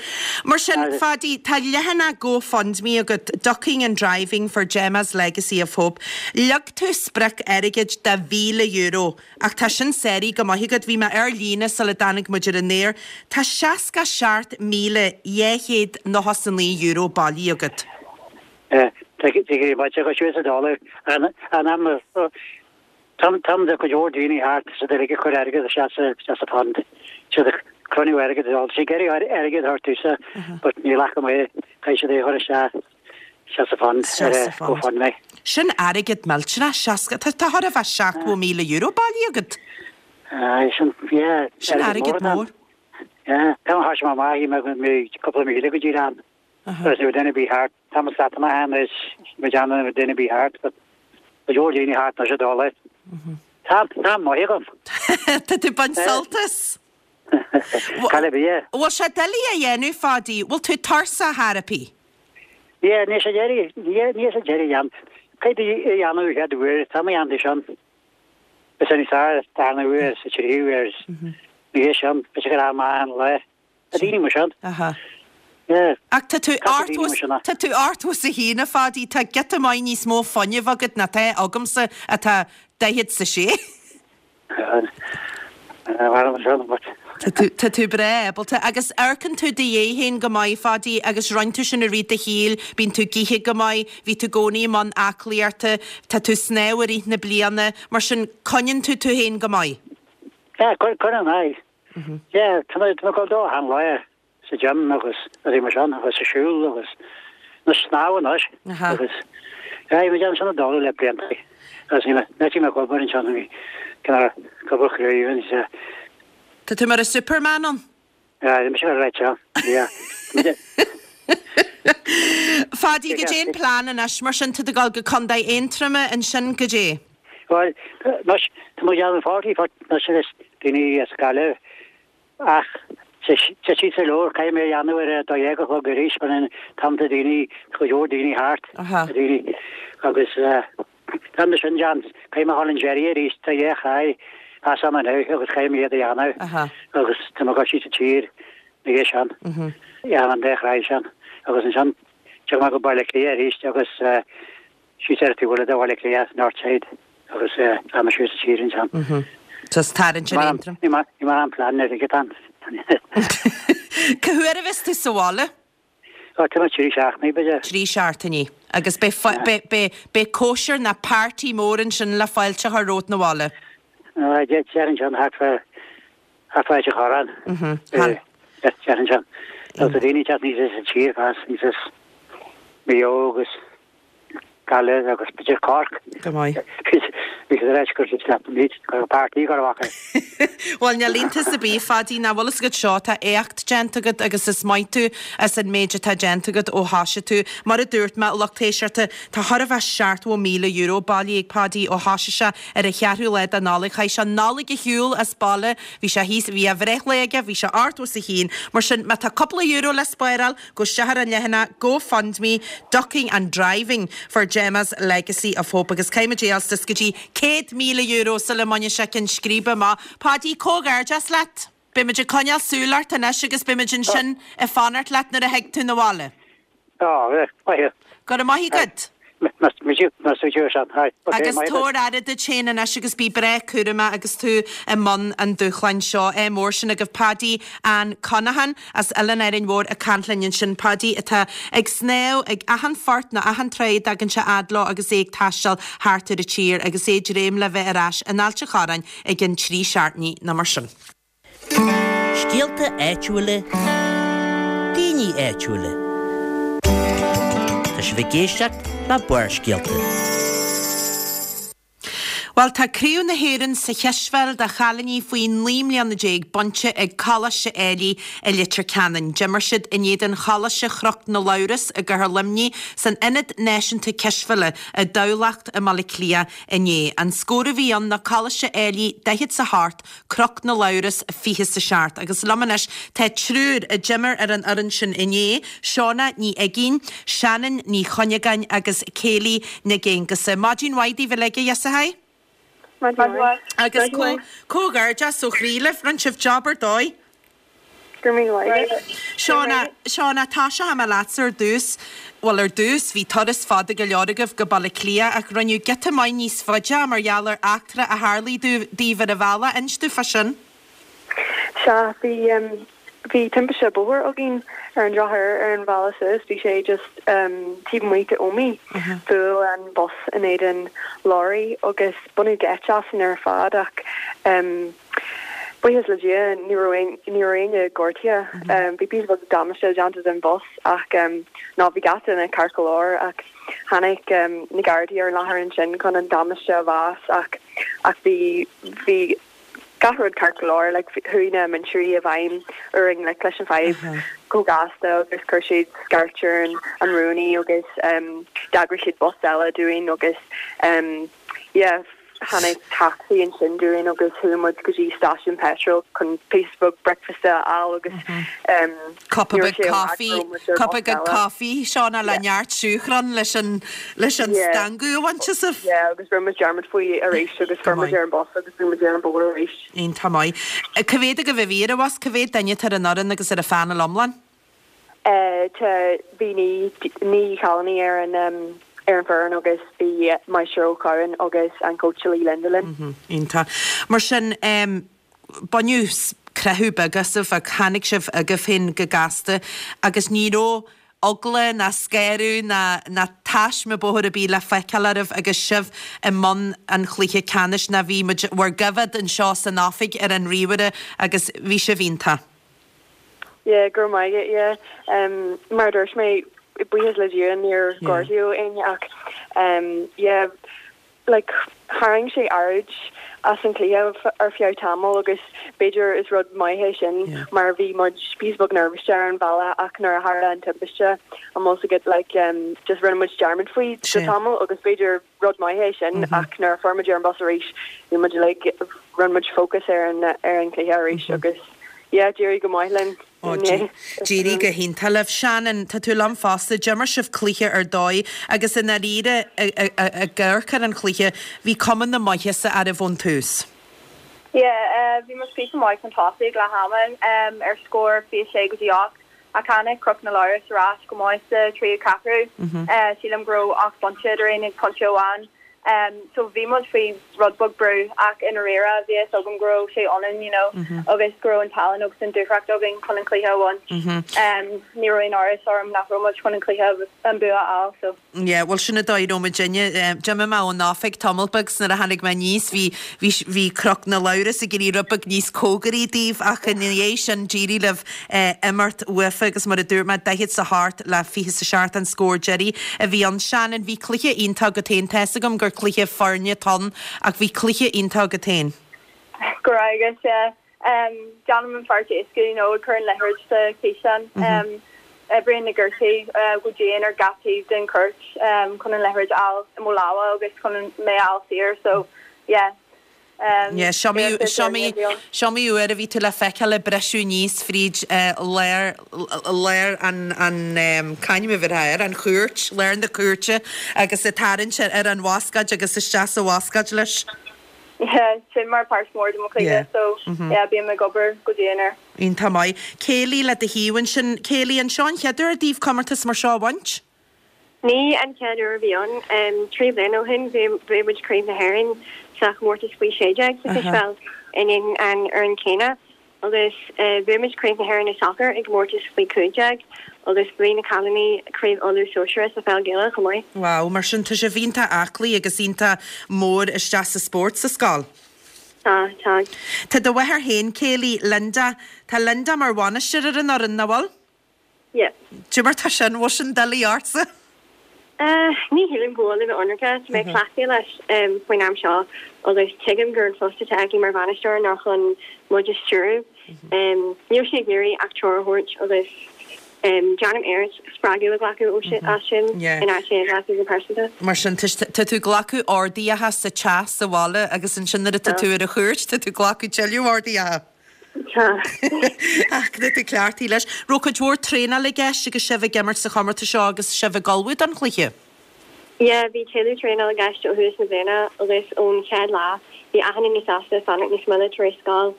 Mar sin, Pháidí, tá leathanach GoFundMe agat, Ducking and Driving for Gemma's Legacy of Hope. Leag tú sprioc airgid de mhíle euro, ach tá sin sáraithe go maith agat. Bhí mé ar líne sula dtáinig muid ar an aer. Tá seasca seacht míle dhá chéad nócha is a naoi euro bailithe agat. Tá go maith agat, siúd sa dála. An am Tá go leor daoine thart sa deireadh ag cur airgead isteach sa sa fund. Siad ag cruinniú airgead is all. Siad ag iarraidh airgead thart tusa but níl acu é. Caithfidh siad é a chur isteach isteach sa fund ar GoFundMe. Sin airgead millteanach, seasca, tá tá chóir a bheith seachtó míle euro bailithe agat. Aye, sin, yeah, Sin airgead airgead mór. mór. Yeah, tá an háis maith, mé cúpla míle go dtí an. Agus ní duine bí thart, tá mo sat amach ann is mé déanamh duine bí thart, but Go leor daoine thart anois a dul. Tá, tá maith agam. Tá tú ag baint sult as. Cailleadh bia. Bhfuil sé doiligh a dhéanamh, Pháidí? Bhfuil tú tuirseach thar a bith? Yeah, níl sé doiligh, níl sé doiligh a dhéanamh. Caithfidh tú é a dhéanamh an chéad uair, tá mé déanta sin. Is é níos fearr, darna huair, sa tríú huair, ní hé sin, is gur am maith an lá. Tá daoine mar sin. Aha. Yeah. Ach tá tú Tá daoine mar sin. Tá tú ochtó is a haon, a Pháidí, tá giota maith níos mó fuinnimh agat ná tá agamsa atá daichead is a sé. Tá tú, tá tú breá ábalta. Agus amharcann tú i do dhiaidh féin go maith, Pháidí, agus roinn tú sin i rith do shaoil, bíonn tú ag ithe go maith, bhí tú i gcónaí i mbun aclaíochta, tá tú ag snámh i rith na bliana, mar sin coinníonn tú tú féin go maith. Yeah, coinním, aye. Yeah, tá mé ag dul dó achan lá sa gym agus rudaí mar sin agus ag siúl agus na snámh anois agus yeah, bhí mé déanamh sin ag dul le blianta agus ní mé ag obair ansin bhí cineál ag obair chraobh agus eh. Tá tú mar a Superman ann? Yeah, bhí mise mar right seo, yeah. Pháidí, goidé an plean anois mar sin, tá tú ag dul go Contae Aontroma ansin goidé? Bhuel, anois, tá muid ag déanamh forty anois agus daoine as Gaillimh ach tá siad sa leabhar, caithfidh mé a dhéanamh ar a dó dhéag a chlog arís mar an t-am tá daoine, tá go leor daoine thart, daoine agus tá mé sin déan, caithfidh mé a dhul an deiridh arís, tá dhá thráigh as am anois agus caithfidh mé iad a dhéanamh agus tá mé ag dul síos an tír na dhiaidh sin, dhéanamh an dá thráigh sin agus ansin tiocfaidh mé go Baile Átha Cliath arís agus Síos ar an taobh eile de Bhaile Átha Cliath, Northside, agus tá mé síos sa tír ansin. So is tarraingt ar Aontroim. Ní mar an plean ar ag an. Cá huair a bheas tú sa bhaile? Ó, tá mé trí seachtainí, b'fhéidir. Trí seachtainí. Agus beidh beidh cóisir ná party mór ansin le fáilte a chur romhat 'na bhaile. Déarfainn sin thart fá thart fá Ailt an Chorráin. Déarfainn sin. Tá daoine ag teacht aníos as an tír fás, aníos as Maigh Eo agus Gaillimh agus b'fhéidir Cork. Go maith. Bhí siad ar ais gur siad leat an gur páirtí go raibh acu. Bhuel, níl iontas ar bith, Phaidí, ná bhfuil fhios agat seo, tá éacht déanta agat agus is maith tú as an méid atá déanta agat ó thoisigh tú. Mar a dúirt mé, lucht éisteachta, tá chóir a bheith seachtó míle euro bailithe ag Paidí ó thoisigh sé ar an cheathrú lá de Nollaig. Chaith sé Nollaig ar shiúl as baile, bhí sé thíos, bhí a bhreithlá aige, bhí sé ochtó is a haon. Mar sin, má tá cúpla euro le spáráil, gabh isteach ar an leathanach GoFundMe, Ducking and Driving for Gemma's Legacy of Hope agus caithfimid é a fháil suas go dtí céad míle euro sula mbainfidh sé ceann scríbe amach. Paidí, comhghairdeas leat! Beimid ag coinneáil súil ort anois agus beimid ansin ag fanacht leat nuair a thig tú 'na bhaile. Á, maith. Go raibh maith agat! Agus tabhair aire duit féin anois agus bí breá cúramach agus tú i mbun an dúshláin seo. Ádh mór sin agaibh Paddy Ann Conaghan as Oileán Árainn Mhór ag caint linn ansin. Paddy atá ag snámh ag achan phort nó achan trá a dtagann sé fhad leo agus é ag taisteal thart ar an tír agus é ag dréim le bheith ar ais in Ailt a' Chorráin i gcionn trí seachtainí nó mar sin. Scéalta áitiúla, daoine áitiúla. Tá sibh ag éisteacht le Barrscéalta. Bhuel, tá Craobh na hÉireann sa chispheil do chailíní faoi naoi mbliana déag bainte ag Coláiste Ailigh i Leitir Ceanainn. D'imir siad in éadan Choláiste Chnoc na Labhras i gCathair Luimnigh san Ionad Náisiúnta Cispheile i dTamhlacht i mBaile Átha Cliath inné. An scór a bhí ann ná Coláiste Ailigh daichead 's a hocht, Cnoc na Labhras fiche 's a seacht. Agus liom anois tá triúr a d'imir ar an fhoireann sin inné, Shauna Ní Uiginn, Shannon Ní Chuinneagáin agus Kayleigh Nic Aonghusa. Maidin mhaith daoibh uilig, a dheasathaí. Maidin mhaith. Agus comhghairdeas ó chroí libh, rinne sibh job ar dóigh. Go raibh míle maith agat. Shauna, Shauna, tosóidh mé leatsa ar dtús. Bhuel, ar dtús, bhí turas fada go leor agaibh go Baile Átha Cliath ach rinneadh giota maith níos faide mar gheall ar eachtra a tharlaigh daoibh ar an bhealach. Inis domh fá sin. Sea, bhí, bhí timpiste bóthair againn ar an drochuair ar an bhealach suas. Bhí sé just taobh amuigh de Ómaigh. Bhuail an bus in éadan leoraí agus baineadh geit asainn ar fad ach Buíochas le Dia ní raibh ní raibh éinne gortaithe. Bhí píosa beag damáiste déanta den bhus ach ná bhí gach duine ceart go leor ach tháinig na Gardaí ar an láthair ansin chun an damáiste a mheas ach ach bhí bhí gach rud ceart go leor like chuaigh na múinteoirí i bhfeidhm ar an ngleic leis an fadhb chomh gasta agus chuir siad scairt ar an an rúnaí agus d'eagraigh siad bus eile dúinn agus yeah Tháinig tacsaí ansin dúinn agus chuaigh muid go dtí stáisiún peitril chun píosa beag bricfeasta a fháil agus Cupa ní raibh beag sé i bhfad coffee, go raibh muid ar cupa bus beag eile. coffee, Shauna, le neart siúcra leis an leis an Yeah. stangadh a bhaint asaibh. Yeah, agus rinne muid dearmad faoi arís agus Go fuair muid maith. ar an bus agus bhí muid ar an bóthar arís. Iontach maith. Cá mhéad agaibh a bhí ar an bhus? Cá mhéad duine atá ar an fhoireann agus ar an phainéal iomlán? Tá, bhí naoi, naoi chailíní ar an ar an bhfoireann agus bhí Máistir Ó Cadhain agus an cóitseálaí Linda linn. Iontach. Mar sin, baineadh creathadh beag asaibh ach tháinig sibh agaibh féin go gasta agus ní raibh eagla ná scanradh ná ná taisme bóthair ar bith le feiceáil oraibh agus sibh i mbun an chluiche ceannais ná bhí muid bhur gcoimhéad anseo san oifig ar an ríomhaire agus bhí sibh iontach. Yeah, go raibh maith agat, yeah. Um, mar a dúirt mé, buíochas le Dia níor gortaíodh éinne ach um, yeah, like, tharraing sé aird as an chluiche ar feadh tamaill agus b'fhéidir is rud maith é sin mar bhí muid píosa beag nervous ar an bhealach ach nuair a tharla an timpiste an bhfuil fhios agat like, um, just rinne muid dearmad faoi go tamall agus b'fhéidir rud maith é sin ach nuair a fuair muid ar an bus arís bhí muid like, rinne muid focus ar an ar an chluiche arís agus yeah, d'éirigh go maith linn. Ó, d'éirigh go hiontach libh. Shannon, tá tú liom fosta, d'imir sibh cluiche ar dóigh agus i ndáiríre ag amharc ar an chluiche, bhí cuma na maitheasa oraibh ón tús. Yeah, bhí muid píosa maith chun tosaigh ag leath ama ar scór fiche sé go dtí ocht ach tháinig Cnoc na Labhras ar ais go maith sa tríú ceathrú. Sílim go raibh ocht bpointe eadrainn ag pointe amháin. Um, so bhí muid faoi rud beag brú ach i ndáiríre bhí a fhios agam go raibh sé ionainn, you know, agus go raibh an tallann agus an dúthracht againn chun an cluiche a bhaint. Um, ní raibh aon amhras orm nach raibh muid chun an cluiche an bua a fháil, so. Yeah, bhuel sin an dóigh a raibh muidinne. D'imigh mé ón oifig tamall beag 's nuair a tháinig mé aníos bhí bhí bhí Cnoc na Labhras ag éirí rud beag níos cóngaraí daoibh ach ina dhiaidh sin d'éirigh libh imeacht uafa agus mar a dúirt mé daichead 's a hocht le fiche 's a seacht an scór deiridh a bhí ann. Shannon, bhí cluiche iontach agat féin, tá's agam gur gur cluiche foirne atá ann ach bhí cluiche iontach agat féin. Go raibh agus yeah. Um, déanaim an pháirt éasca, you know, ag cur an liathróid sa chiseán. Um, oibríonn na gortaí uh, go dian ar gach taobh den chúirt um, chun an liathróid a fháil i mo lámha agus chun an mé a fháil saor, so yeah. Um, Yeah, is iomaí is iomaí is iomaí uair a bhí tú le feiceáil ag briseadh aníos fríd uh, lár lár an an um, c'ainm a bhí air an chúirt, lár na cúirte agus ag tarraingt ar an bhascaed agus isteach sa bhascaed leis. Yeah, sin mar páirt mór de mo chluiche, Yeah. so yeah, bím ag obair go dian air. Iontach maith. Kayleigh le do thaobh ansin Kayleigh an seo an chéad uair daoibh comórtas mar seo a bhaint? Ní an chéad uair a bhí ann um, trí bliana ó shin bhuaigh muid Craobh na hÉireann sa chomórtas faoi sé déag sa cispheil in in an fhoireann céanna agus uh, bhuaigh muid Craobh na hÉireann i soccer i gcomórtas faoi cúig déag agus bhuaigh na cailíní Craobh Uladh Sóisear sa pheil Ghaelach chomh maith. Wow, mar sin tá sibh iontach aclaí agus iontach mór isteach sa spórt sa scoil. Tá tá. Tá do mháthair féin Kayleigh Linda, Tá Linda mar bhainisteoir ar an fhoireann nach bhfuil? Yeah. Cad é mar tá sin bhfuil sin doiligh ortsa? Uh, ní shílim go bhfuil le ionraice tá mé cleachtaithe leis um, faoin am seo agus tuigim gur an post atá aici mar bhainisteoir nach chun muid a stiúradh. Um, níl sí ag iarraidh ach treoir a thabhairt agus um, déanaim iarracht spreagadh a ghlacadh ó sin as sin Yeah. in áit é a ghlacadh go pearsanta. Mar sin tá tú glacadh orduithe sa teach sa bhaile agus ansin nuair atá tú ar an chúirt tá tú glacadh tuilleadh orduithe. Tá. Ach tá tú cleachtaithe leis. Raibh cuid mhór traenáil i gceist agus sibh ag imirt sa chomórtas seo agus sibh ag ullmhú don chluiche. Yeah, bhí tuilleadh traenáil i gceist ó thús na bliana agus ón chéad lá bhí achan duine sásta fanacht níos moille tar éis scoil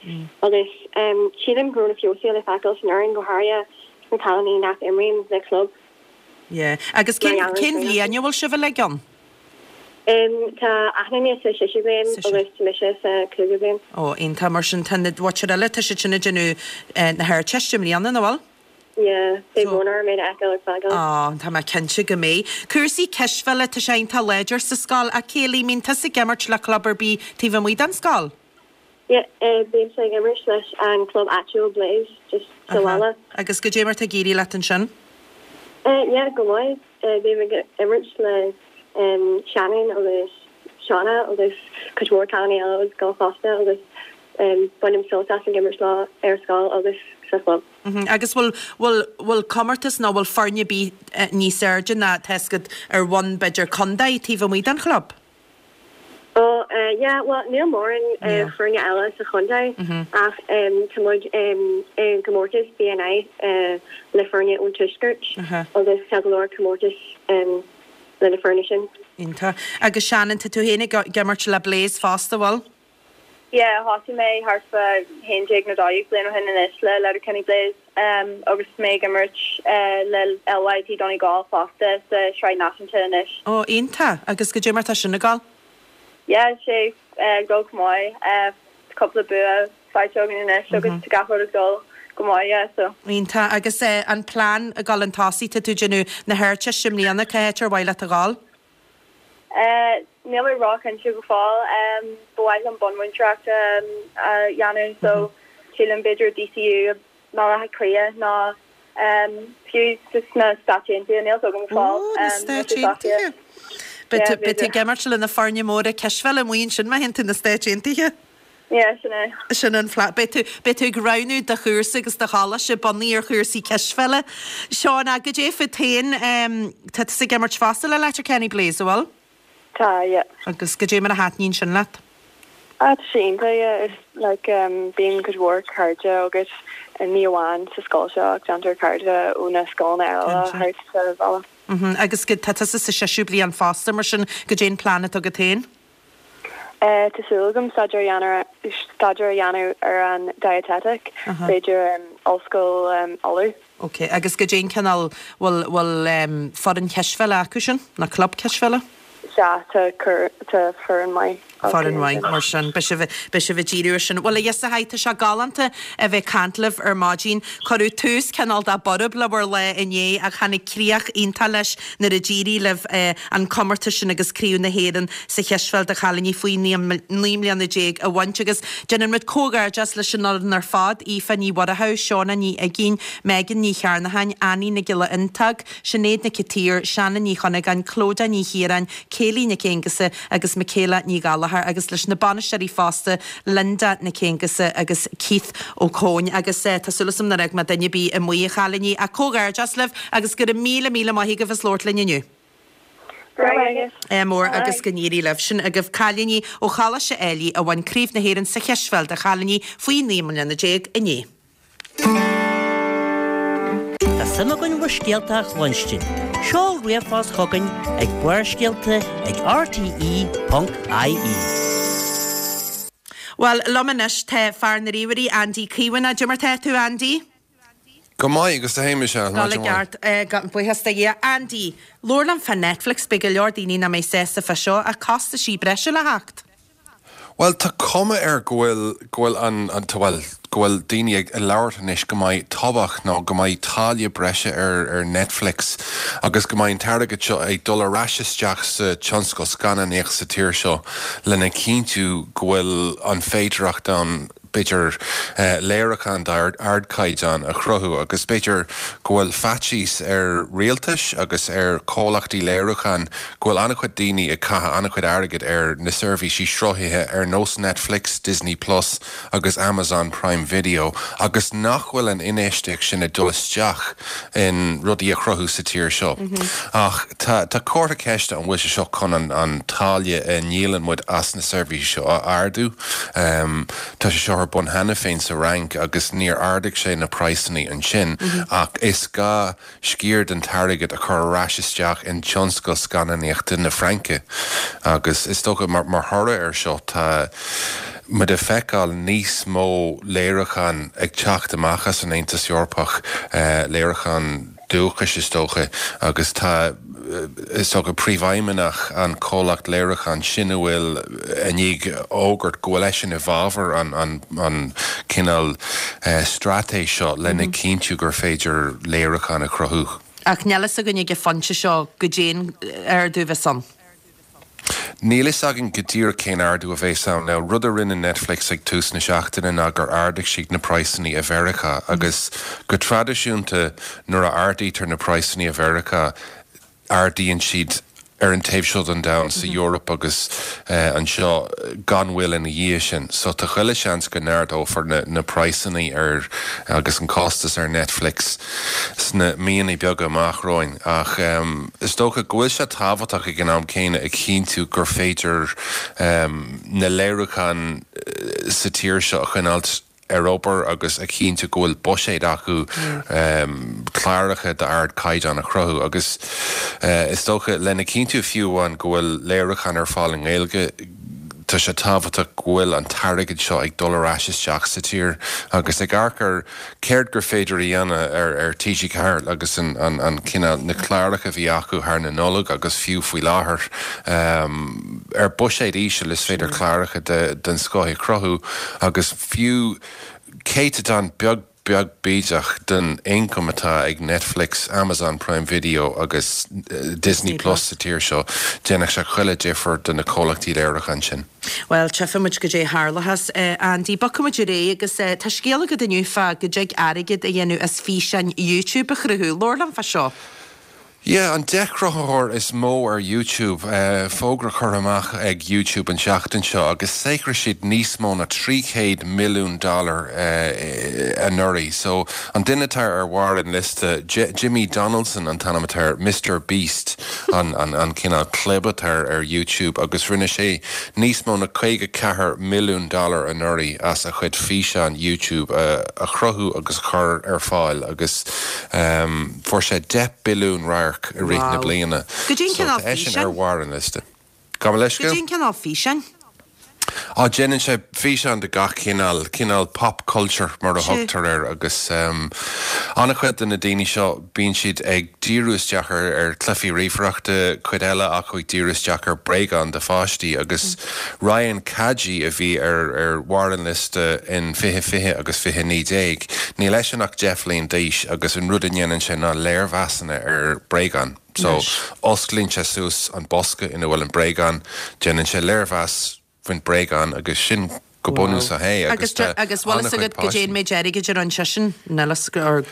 agus um, sílim go raibh na feabhas le feiceáil san fhoireann go háirithe na cailíní nach imríonn le club. Yeah. Agus Mar cén gheall ar cén traenáil. bhliain a bhfuil sibh uilig ann? Um, tá achan duine sa séú bliain agus tá mise sa cúigiú bliain. Ó iontach mar sin tá na bhaitir eile tá siad sin ag déanamh eh, na hArdteiste i mbliana nach bhfuil? Yeah, beidh brón orm iad a fheiceáil ag fágáil. Á, tá mé cinnte go mbeidh. Cúrsaí cispheile tá sé iontach láidir sa scoil a Kayleigh mbíonn tusa ag imirt le club ar bith taobh amuigh den scoil. Yeah, uh, bímse ag imirt leis an club áitiúil Blaze just sa bhaile. Agus goidé mar tá ag éirí leat ansin? Uh, yeah, go maith. Uh, bím ag imirt le um, Shannon agus Shauna agus cuid mhór cailíní eile agus scoil fosta agus um, bainim sult as ag imirt leo ar scoil agus sa chlub. Mm -hmm. Agus bhfuil bhfuil bhfuil comórtas nó bhfuil foirne ar bith eh, níos airde ná tescad ar bhonn b'fhéidir contae taobh amuigh den chlub? Oh, uh, yeah, well, níl mórán uh, Yeah. foirne eile sa chontae ach um, tá muid um, i gcomórtas BNI uh, le foirne ón tuaisceart Aha. agus tá go leor comórtas um, le na foirne sin. Iontach. Agus Shannon tá tú féin ag imirt le Blaze fosta bhfuil? Yeah, thosaigh mé thart fá haon déag nó dó dhéag bliain ó shin anois le Letterkenny Blaze um, agus mé ag imirt uh, le LYT Donegal fosta sa Sraith Náisiúnta anois. Ó iontach agus goidé mar tá sin ag gabháil? Yeah, sé uh, go maith uh, cúpla bua faighte againn anois agus tá gach rud ag dul go maith yeah, so. Iontach agus eh, an plean ag dul chun tosaigh tá tú ag déanamh na hArdteiste i mbliana cá háit ar mhaith leat a ghabháil? Uh, Níl mé róchinnte go fóill um, ba mhaith liom bunmhúinteoireacht um, a dhéanamh so sílim b'fhéidir DCU Baile Átha Cliath ná um, fiú sna Stáit Aontaithe níl go fóill. Ó, na Stáit Aontaithe. Yeah, Beidh tú ag imirt le na foirne móra cispheile amuigh ansin má théann tú na Stáit Aontaithe? Yeah, sin é. Sin an phlean Beidh tú beidh tú ag roghnú do chúrsa agus do choláiste bunaithe ar chúrsaí cispheile. Seán goidé fút féin tá tusa ag imirt fosta le Letterkenny Blaze bhfuil? Tá, yeah. Agus goidé mar a thaitníonn sin leat? Ah, tá sé iontach, yeah. Is like um, bíonn cuid mhór cairde agus ní amháin sa scoil seo ach déantar cairde ó na scoileanna eile Cinnte. thart sa bhaile. Mm Agus go tá tusa sa séú bliain fosta mar sin goidé an plean atá agat féin? Uh, Tá súil agam staidéar a dhéanamh staidéar a dhéanamh ar an dietetic, b'fhéidir um, ollscoil um, Uladh. Ok, agus goidé an cineál bhfuil bhfuil um, foireann cispheile acu sin na club cispheile? Sea tá cur tá foireann maith. Foireann mhaith mar sin, beidh sibh beidh sibh ag díriú ar sin. Bhuel a Dheasa, tá sé galánta a bheith ag caint libh ar maidin. Cuireadh tús cineál de borb le bhur lá inné ach tháinig críoch iontach leis nuair a d'éirigh libh an comórtas sin agus Craobh na hÉireann sa chispheil do chailíní faoi naoi mbliana déag a bhaint agus déanann muid comhghairdeas leis an fhoireann ar fad, Aoife Ní Mhuireadhaigh, Seona Ní Uigín, Megan Ní Chearnacháin, Annie Nic Giolla Iontaigh, Sinéad Nic an tSaoir, Shannon Ní Chuinneagáin, Clodagh Ní Chiaráin, Kayleigh Nic Aonghusa agus Michaela Ní Ghallachair agus leis na bainisteoirí fosta, Linda Nic Aonghusa agus Keith Ó Cóin agus tá súil agam nár fhág mé duine ar bith amuigh, a chailíní, ach comhghairdeas libh agus go raibh míle míle maith agaibh as labhairt linn inniu. Go raibh maith agat. Mór agus go n-éirí libh. Sin agaibh cailíní ó Choláiste Ailigh a bhain Craobh na hÉireann sa chispheil do chailíní faoi naoi mbliana déag inné. Tá suim againn bhur scéalta a chluinstin. Seol ríomhphost chugainn ag Barrscéalta ag rte ponc ie. Bhuel, liom anois tá fear na ríomhairí, Andy Caomhánach. Cad é mar tá tú, Andy? Go maith, agus tú fhéin, Michelle. Go ceart, buíochas do Dhia. Andy, labhair liom fá Netflix, beidh go leor daoine nach mbeidh sásta fá seo, ach costaisí breise le theacht. Bhuel, tá cuma air go bhfuil, go bhfuil an, an, bhuel, go bhfuil daoine ag labhairt anois go mbeidh tobhach nó go mbeidh táille breise ar, ar Netflix agus go mbeidh an t-airgead seo ag dul ar ais isteach sa tionscal scannánaíocht sa tír seo lena chinntiú go bhfuil an féidearthacht ann b'fhéidir léiriúchán d'ardchaighdeán a chruthú agus b'fhéidir go bhfuil faitíos ar rialtais agus ar chomhlachtaí léiriúcháin go bhfuil an-chuid daoine ag caitheamh an-chuid airgid ar na seirbhísí sruthaithe ar nós Netflix, Disney Plus agus Amazon Prime Video agus nach bhfuil an infheistíocht sin ag dul isteach in rudaí a chruthú sa tír seo. Ach tá tá comhartha ceiste an bhfuil sé seo chun an an táille a ndíolann muid as na seirbhísí seo a ardú. Tá sé seo ar bun cheana féin sa Fhrainc agus níor ardaigh sé na praghsanna ansin ach is gá sciar den t-airgead a chur ar ais isteach in tionscal scannánaíochta na Fraince agus is dócha mar mar thoradh ar seo tá muid ag feiceáil níos mó léiriúchán ag teacht amach as an Aontas Eorpach, léiriúchán dúchais is dócha agus tá is dócha príomhfheidhmeannach an comhlacht léiriúcháin sin a bhfuil i ndiaidh fhógairt go bhfuil eisean i bhfabhar an an an cineál straitéis seo lena chinntiú gur féidir léiriúchán a chruthú. Ach níl fhios againn ag an phointe seo goidé an ardú a bheas ann. Níl fhios againn go díreach cén ardú a bheas ann. Now, rud a rinne Netflix ag tús na seachtaine ná gur ardaigh siad na praghsanna i Mheiriceá agus go traidisiúnta nuair a ardaítear na praghsanna i Mheiriceá ardaíonn siad ar an taobh seo den domhan, sa Eoraip agus anseo gan mhoill ina dhiaidh sin. So tá chuile seans go n-ardófar na na praghsanna ar agus an costas ar Netflix sna míonna beaga amach romhainn. Ach is dócha go bhfuil sé tábhachtach ag an am céanna a chinntiú gur féidir na léiriúcháin sa tír seo a choinneáilt ar obair agus a chinntiú go bhfuil buiséad acu cláracha d'ardchaighdeán a chruthú agus is dócha lena chinntiú fiú amháin go bhfuil léiriúcháin ar fáil i nGaeilge tá sé tábhachtach go bhfuil an t-airgead seo ag dul ar ais isteach sa tír agus ag amharc ar céard gur féidir a dhéanamh ar ar T G Ceathair agus an an an cineál na cláracha a bhí acu thar na Nollag agus fiú faoi láthair ar buiséad íseal is féidir cláracha de den scoth a chruthú agus fiú céatadán beag beag bídeach den ioncam atá ag Netflix, Amazon Prime Video agus Disney Plus sa tír seo, déanfadh sé chuile difear do na comhlachtaí léiriúcháin sin. Bhuel, tchífidh muid goidé a tharlóchas, Andy. Bogfaidh muid ar aghaidh agus tá scéal agat inniu fá go dtig airgead a dhéanamh as físeáin YouTube a chruthú. Labhair liom fá seo. Yeah, an deich cruthaitheoir is mó ar YouTube, fógra curtha amach ag YouTube an tseachtain seo agus saothraigh siad níos mó ná trí chéad milliún dollar anuraidh. So, an duine atá ar bharr an liosta, Jimmy Donaldson an t-ainm atá air, Mister Beast an an cineál clib atá ar YouTube agus rinne sé níos mó ná caoga ceathair milliún dollar anuraidh as a chuid físeán YouTube a chruthú agus a chur ar fáil agus fuair sé deich billiún radharc i rith na Wow. bliana. Goidé an So cineál tá eisean físeáin? ar bharr an liosta. Gabh mo leithscéal? Goidé an cineál físeáin? Á, déanann sé físeáin de gach cineál, cineál pop culture mar a thugtar air agus an-chuid de na daoine seo bíonn siad ag díriú isteach ar ar chluichí ríomhaireachta, cuid eile acu ag díriú isteach ar bréagáin do pháistí agus Ryan Kaji a bhí ar ar bharr an liosta in fiche fiche agus fiche naoi déag, níl eisean ach deich bhliain d'aois agus an rud a ndéanann sé ná léirmheasanna ar bréagáin. So, osclaíonn sé suas an bosca ina bhfuil an bréagán, déanann sé léirmheas faoin bréagán agus sin go bunúsach é agus tá Agus bhfuil fhios agat goidé an méid airgid a rinne seisean? Níl fhios or.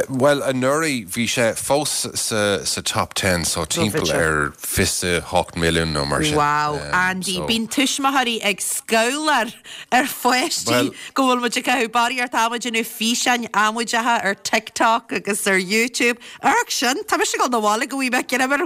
Bhuel, anuraidh bhí sé fós sa sa top ten so timpeall ar fiche hocht milliún nó mar sin. Wow, Andy, bíonn tuismitheoirí ag scabhláil ar pháistí go bhfuil muid ag caitheamh barraíocht ama ag déanamh físeáin amaideacha ar TikTok agus ar YouTube. Amharc sin, tá mise ag dul 'na bhaile go bhfaighidh mé greim ar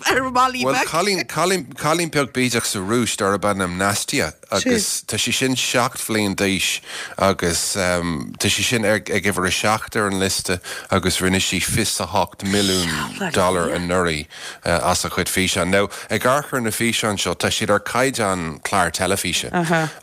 ar Mholly Bhuel, Beag. cailín, cailín, cailín beag bídeach sa Rúis darb ainm Nastia agus tá sí sin seacht bhliain d'aois agus tá sí sin ar, ag uimhir a seacht ar an liosta agus rinne sí fiche a hocht milliún dollar anuraidh as a chuid físeán. Now, ag amharc ar na físeáin seo, tá siad ar caighdeán clár teilifíse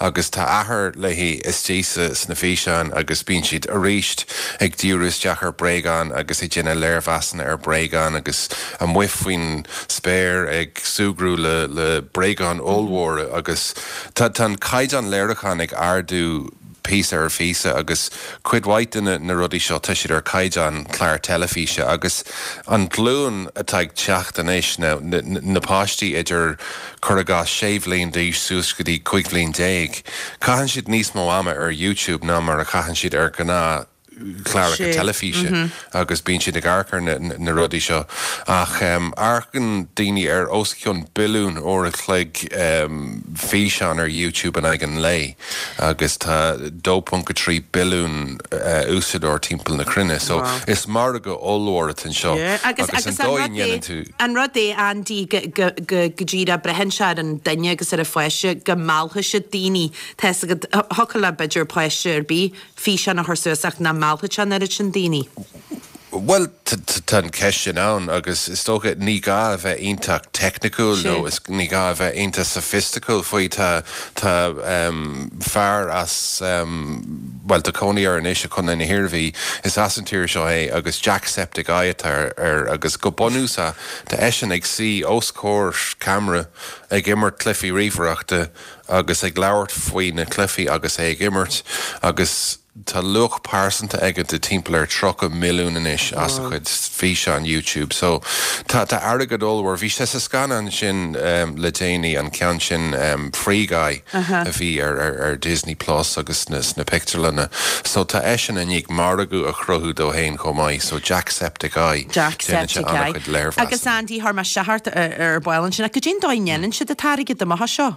agus tá athair léi istigh sa, sna físeáin agus bíonn siad arís ag díriú isteach ar bréagáin agus ag déanamh léirmheasanna ar bréagáin agus amuigh faoin spéir ag súgradh le le bréagáin ollmhóra agus tá tá an caighdeán léiriúcháin ag ardú píosa ar phíosa agus cuid mhaith de na na rudaí seo tá siad ar caighdeán clár teilifíse agus an ghlúin atá ag teacht anois na na na páistí idir cuir i gcás sé bhliain d'aois suas go dtí cúig bhliain déag caitheann siad níos mó ama ar YouTube ná mar a chaitheann siad ar ghnáth chláracha teilifíse agus bíonn siad ag amharc ar na rudaí seo ach amharcann daoine ar os cionn billiún uair a chloig físeán ar YouTube in aghaidh an lae agus tá dó ponc a trí billiún úsáideoir timpeall na cruinne so is margadh ollmhór atá anseo agus an dóigh a ndéanann tú An rud é Andy go go díreach braitheann sé ar an duine agus ar an pháiste go meallfaidh siad daoine tá fhios agat thiocfadh le b'fhéidir páiste ar bith físeán a chur suas ach nach meallfadh sé an oiread sin daoine. Bhuel, tá an cheist sin ann agus is dócha ní gá a bheith iontach teicniciúil nó ní gá a bheith iontach soifisticiúil faoi. Tá tá fear as, bhuel tá cónaí air anois i Contae na hIarmhí, is as an tír seo é agus Jacksepticeye atá air agus go bunúsach tá eisean ag suí os comhair ceamara ag imirt cluichí ríomhaireachta agus ag labhairt faoi na cluichí agus é ag imirt agus tá luach pearsanta aige de timpeall ar tríocha milliún anois as a chuid físeán YouTube so tá tá airgead ollmhór. Bhí sé sa scannán sin le déanaí, an ceann sin Free Guy a bhí ar ar ar Disney Plus agus sna sna pictiúrlanna so tá eisean i ndiaidh margadh a chruthú dó fhéin chomh maith so Jacksepticeye, déanann sé Jacksepticeye. an-chuid léirmheasanna. Agus Andy, chuir mé seacht ar ball ansin ach goidé an dóigh a ndéanann siad an t-airgead amach as seo?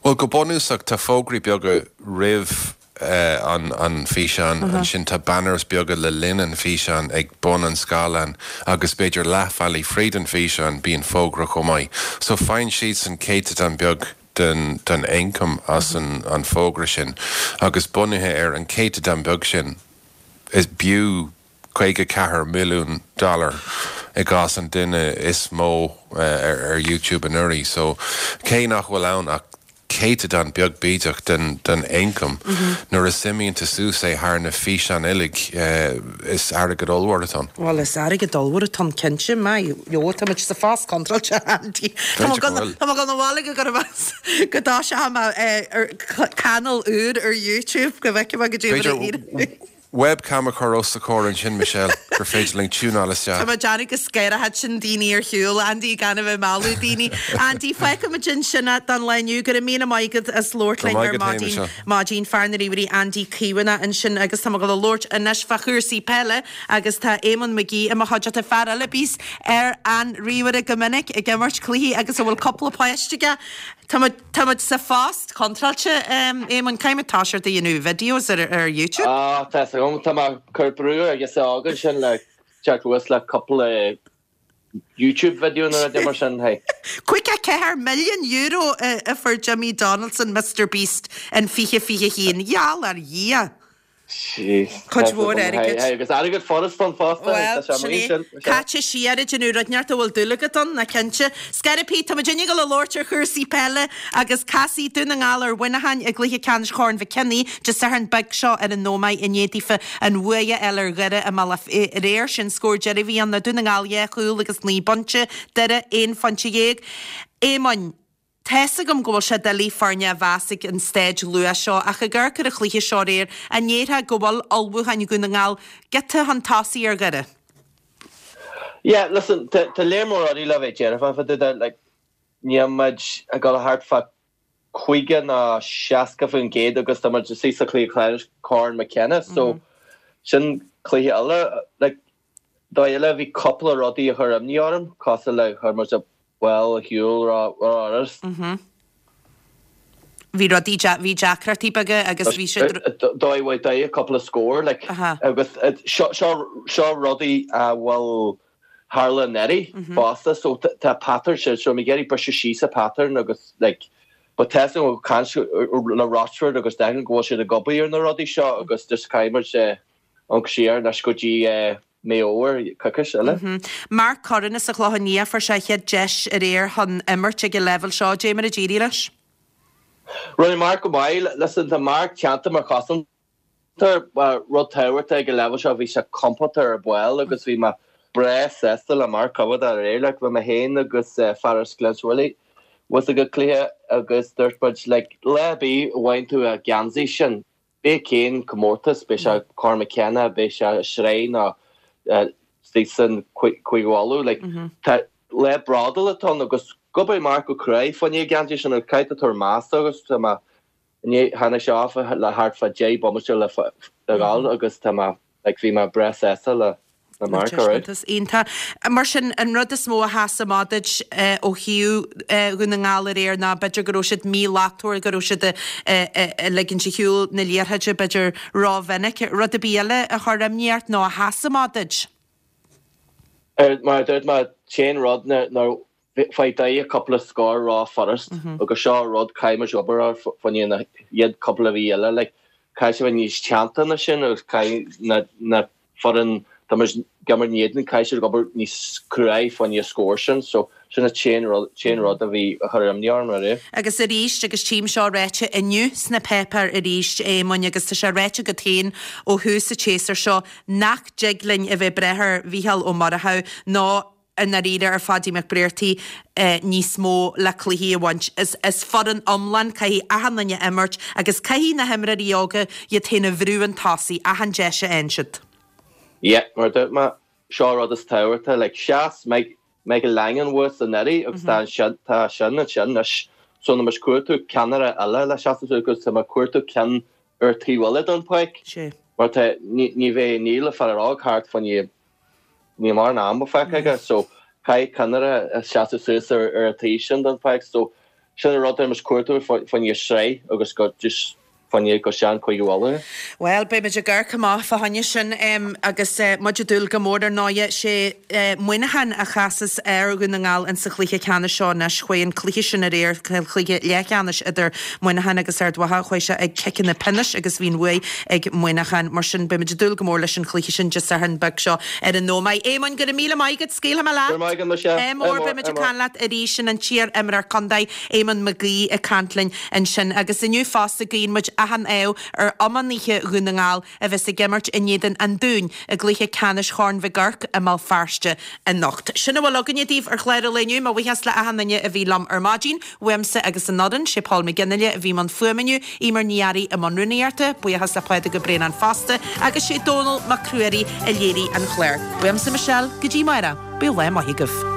Bhuel, go bunúsach, tá fógraí beaga roimh an an físeán, ansin tá banners beaga le linn an físeáin ag bun an scáileáin agus b'fhéidir leathbhealaigh fríd an físeán bíonn fógra chomh maith. So faigheann siadsan céatadán beag den den ioncam as an an fógra sin agus bunaithe ar an céatadán beag sin is b'fhiú caoga ceathair milliún dollar i gcás an duine is mó ar YouTube anuraidh. So cé nach bhfuil ann ach céatadán beag bídeach den den ioncam, nuair a suimíonn tú suas é thar na físeáin uilig, is airgead ollmhór atá ann. Bhuel, is airgead ollmhór atá ann cinnte. Maith leo, tá muid sa phost contráilte, Andy. Tá mé tá mé ag dul abhaile go gcuirfidh mé go dtoiseoidh mé ar channel úr ar YouTube go bhfeicfidh mé goidé mar a éireoidh. Webcam a chur os do chomhair ansin, Michelle, gur féidir linn tiúnáil isteach. Tá mé ag déanamh go scanrófadh sin daoine ar shiúl, Andy, gan a bheith ag mealladh daoine. Andy, fágfaidh muid ansin é don lá inniu. Go raibh míle maith agat as labhairt Go linn raibh ar maith agat féin, maidin. Michelle. Maidin, fear na ríomhairí Andy Caomhánach ansin agus tá mé ag dul a labhairt anois fá chúrsaí peile agus tá Éamonn McGee i mo chuideachta, fear eile a bíos ar an ríomhaire go minic ag imirt cluichí agus a bhfuil cúpla páiste aige. Tá muid, tá muid sa phost contráilte, Éamonn, caithfidh muid toiseacht a dhéanamh videos ar, ar YouTube. Ah, tá fhios agam, tá mé ag cur brú ar girseach óg ansin le teacht suas le cúpla YouTube video nó rud mar sin, hey. Caoga ceathair milliún euro a fuair Jimmy Donaldson, Mister Beast, in fiche fiche haon. Gheall ar Dhia! Cuid mhór airgid. Agus airgead furast ann fosta. Bhuel, sin é. Caite siar ag déanamh rud inteacht a bhfuil dúil agat ann, ná cinnte. Scairbí, tá muid ag dul a labhairt ar chúrsaí peile agus casfaidh Dún na nGall ar Mhuineachán i gcluiche ceannais Chorn Mhic Cionnaith Dé Sathairn beag seo ar an Ómaigh i ndiaidh daofa an bhua a fháil ar Dhoire i mBealach Féich aréir. Sé'n scór deiridh a bhí ann ná Dún na nGall dhá chúl agus naoi bpointe, Doire aon phointe dhéag. Éamoinn. Tá's agam go bhfuil sé doiligh foirne a mheas ag an stáid luath seo ach ag amharc ar an chluiche seo aréir, an ndéarfá go bhfuil ullmhúcháin Dhún na nGall giota chun tosaigh ar Dhoire? Yeah, listen, tá léar mór rudaí le bheith dearfach fá dtaobh de, like, níl muid ag dul thart fá caoga nó seasca faoin gcéad agus tá muid istigh sa chluiche ceannais Corn McKenna, so sin cluiche eile, like, dóigh eile bhí cúpla rudaí a chuir imní orm, cosúil le chuir muid a Bhuel, a shiúl ró-fhurast. Bhí rudaí, bhí deacrachtaí beaga agus bhí siad. Dóigh mhaith dóigh, cúpla scór, like, agus seo, seo, seo rudaí a bhfuil tharla anuraidh fosta, so tá pattern sin, so mé ag iarraidh briseadh síos an pattern agus, like, but tá fhios agam caint le Rochford agus Declan go bhfuil siad ag obair ar na rudaí seo agus just caithfidh muid amharc siar anois go dtí Meán Fómhair, coicís eile. Mark Curran as an Chlochán Liath, fuair sé a chéad deis aréir chun imirt ag an leibhéal seo. Dé mar a d'éirigh leis? Rinne Mark go maith. Listen, tá Mark teannta mar chosantóir. Rud tábhachtach ag an leibhéal seo, bhí sé compordach ar ball agus bhí mé breá sásta le Mark coimhéad aréir. Like, bhí mé féin agus fear as Glenswilly thuas ag an cluiche agus dúirt muid, like, lá ar bith a bhfaigheann tú an geansaí sin, Pé cén comórtas, beidh sé Corn McKenna, beidh sé sraith nó istigh san Cúige Uladh, like, tá lá bródúil atá ann agus d'oibrigh Mark go cruaidh fá choinne an geansaí sin agus caithfidh tú tabhairt meas dó agus tá mé i ndiaidh tháinig sé off le thart fá deich bomaite le dhul agus tá mé Like bhí mé breá sásta le le Mark, alright. Taispeántas iontach. Mar sin, an rud is mó a sheas amach duit ó thaobh Dhún na nGall aréir ná b'fhéidir go raibh siad míshlachtmhar, go raibh siad ag ligint ar shiúl na liathróide b'fhéidir rómhinic. Rud ar bith eile a chuir imní ort nó a sheas amach duit? Mar a dúirt mé, t-aon rud ná Fuair Doire cúpla scór ró-fhurast agus seo rud caithfidh muid obair air fá choinne na chéad cúpla mhí eile like caithfidh sé bheith níos teannta ná sin agus caithfidh na na foireann tá muid ag imirt in éadan caithfidh siad obair níos cruaidh fá choinne scór sin so sin an t-aon rud t-aon rud a bhí a chuir imní orm aréir. Agus arís agus tchím seo ráite inniu sna páipéir arís Éamoinn agus tá sé ráite agat féin ó thús an tséasúir seo nach dtig linn a bheith ag brath ar Mhícheál Ó Murchú nó i ndáiríre ar Pháidí Mac Briartaigh níos mó le cluichí a bhaint. Is foireann iomlán, caithfidh achan duine imirt agus caithfidh na himreoirí óga iad féin a bhrú chun tosaigh achan deis a fhaigheann siad. Yeah, mar a dúirt mé, seo an rud is tábhachtaí, like sheas Michael Langan thuas anuraidh agus tá ansin, tá sin ansin anois. So tá muid ag cuartú ceannaire eile le seasamh suas agus tá mé ag cuartú ceann ar taobh eile den pháirc mar tá, ní bheidh Neil, an fear óg thart fá choinne Níl mórán ama fágtha aige so caithfidh ceannaire seasamh suas ar an taobh sin den pháirc so sin an rud atá muid ag cuartú fá choinne sraith agus go just fá choinne go sean Cúige Uladh. Bhuel, beidh muid ag amharc amach fá choinne sin agus muid ag dúil go mór ar ndóighe. Sé Muineachán a chasas ar Dhún na nGall insa chluiche ceannais seo anois. Chuaigh an cluiche sin aréir, cluiche leathcheannais idir Muineachán agus Ard Mhacha, chuaigh sé ag ciceanna pionóis agus bhí an bhuaidh ag Muineachán. Mar sin, beimid ag dúil go mór leis an chluiche sin Dé Sathairn beag seo ar an Ómaigh. Éamoinn, go raibh míle maith agat. Scaoilfidh mé leat. Go raibh maith agat, Michelle. Ádh mór. Beimid ag caint leat arís. Sin an t-iar-imreoir contae, Éamonn Mac Aoidh, ag caint linn ansin. Agus inniu fosta, guíonn muid achan ádh ar iománaithe Dhún na nGall a bheas ag imirt in éadan an Dúin i gcluiche ceannais Chorn Mhic Oirc i mBéal Feirste anocht. Sin a bhfuil againne daoibh ar chlár an lae inniu. Mo bhuíochas le achan duine a bhí liom ar maidin. Uaimse agus an fhoireann, sé Paul McGinley a bhí i mbun fuaime inniu, Eimear Ní Fhearraigh i mbun rúnaíochta, buíochas le Pádraig Ó Braonáin fosta, agus sé Dónal Mac Ruairí a léirigh an clár. Uaimse Michelle, go dtí amárach, bíodh lá maith agaibh.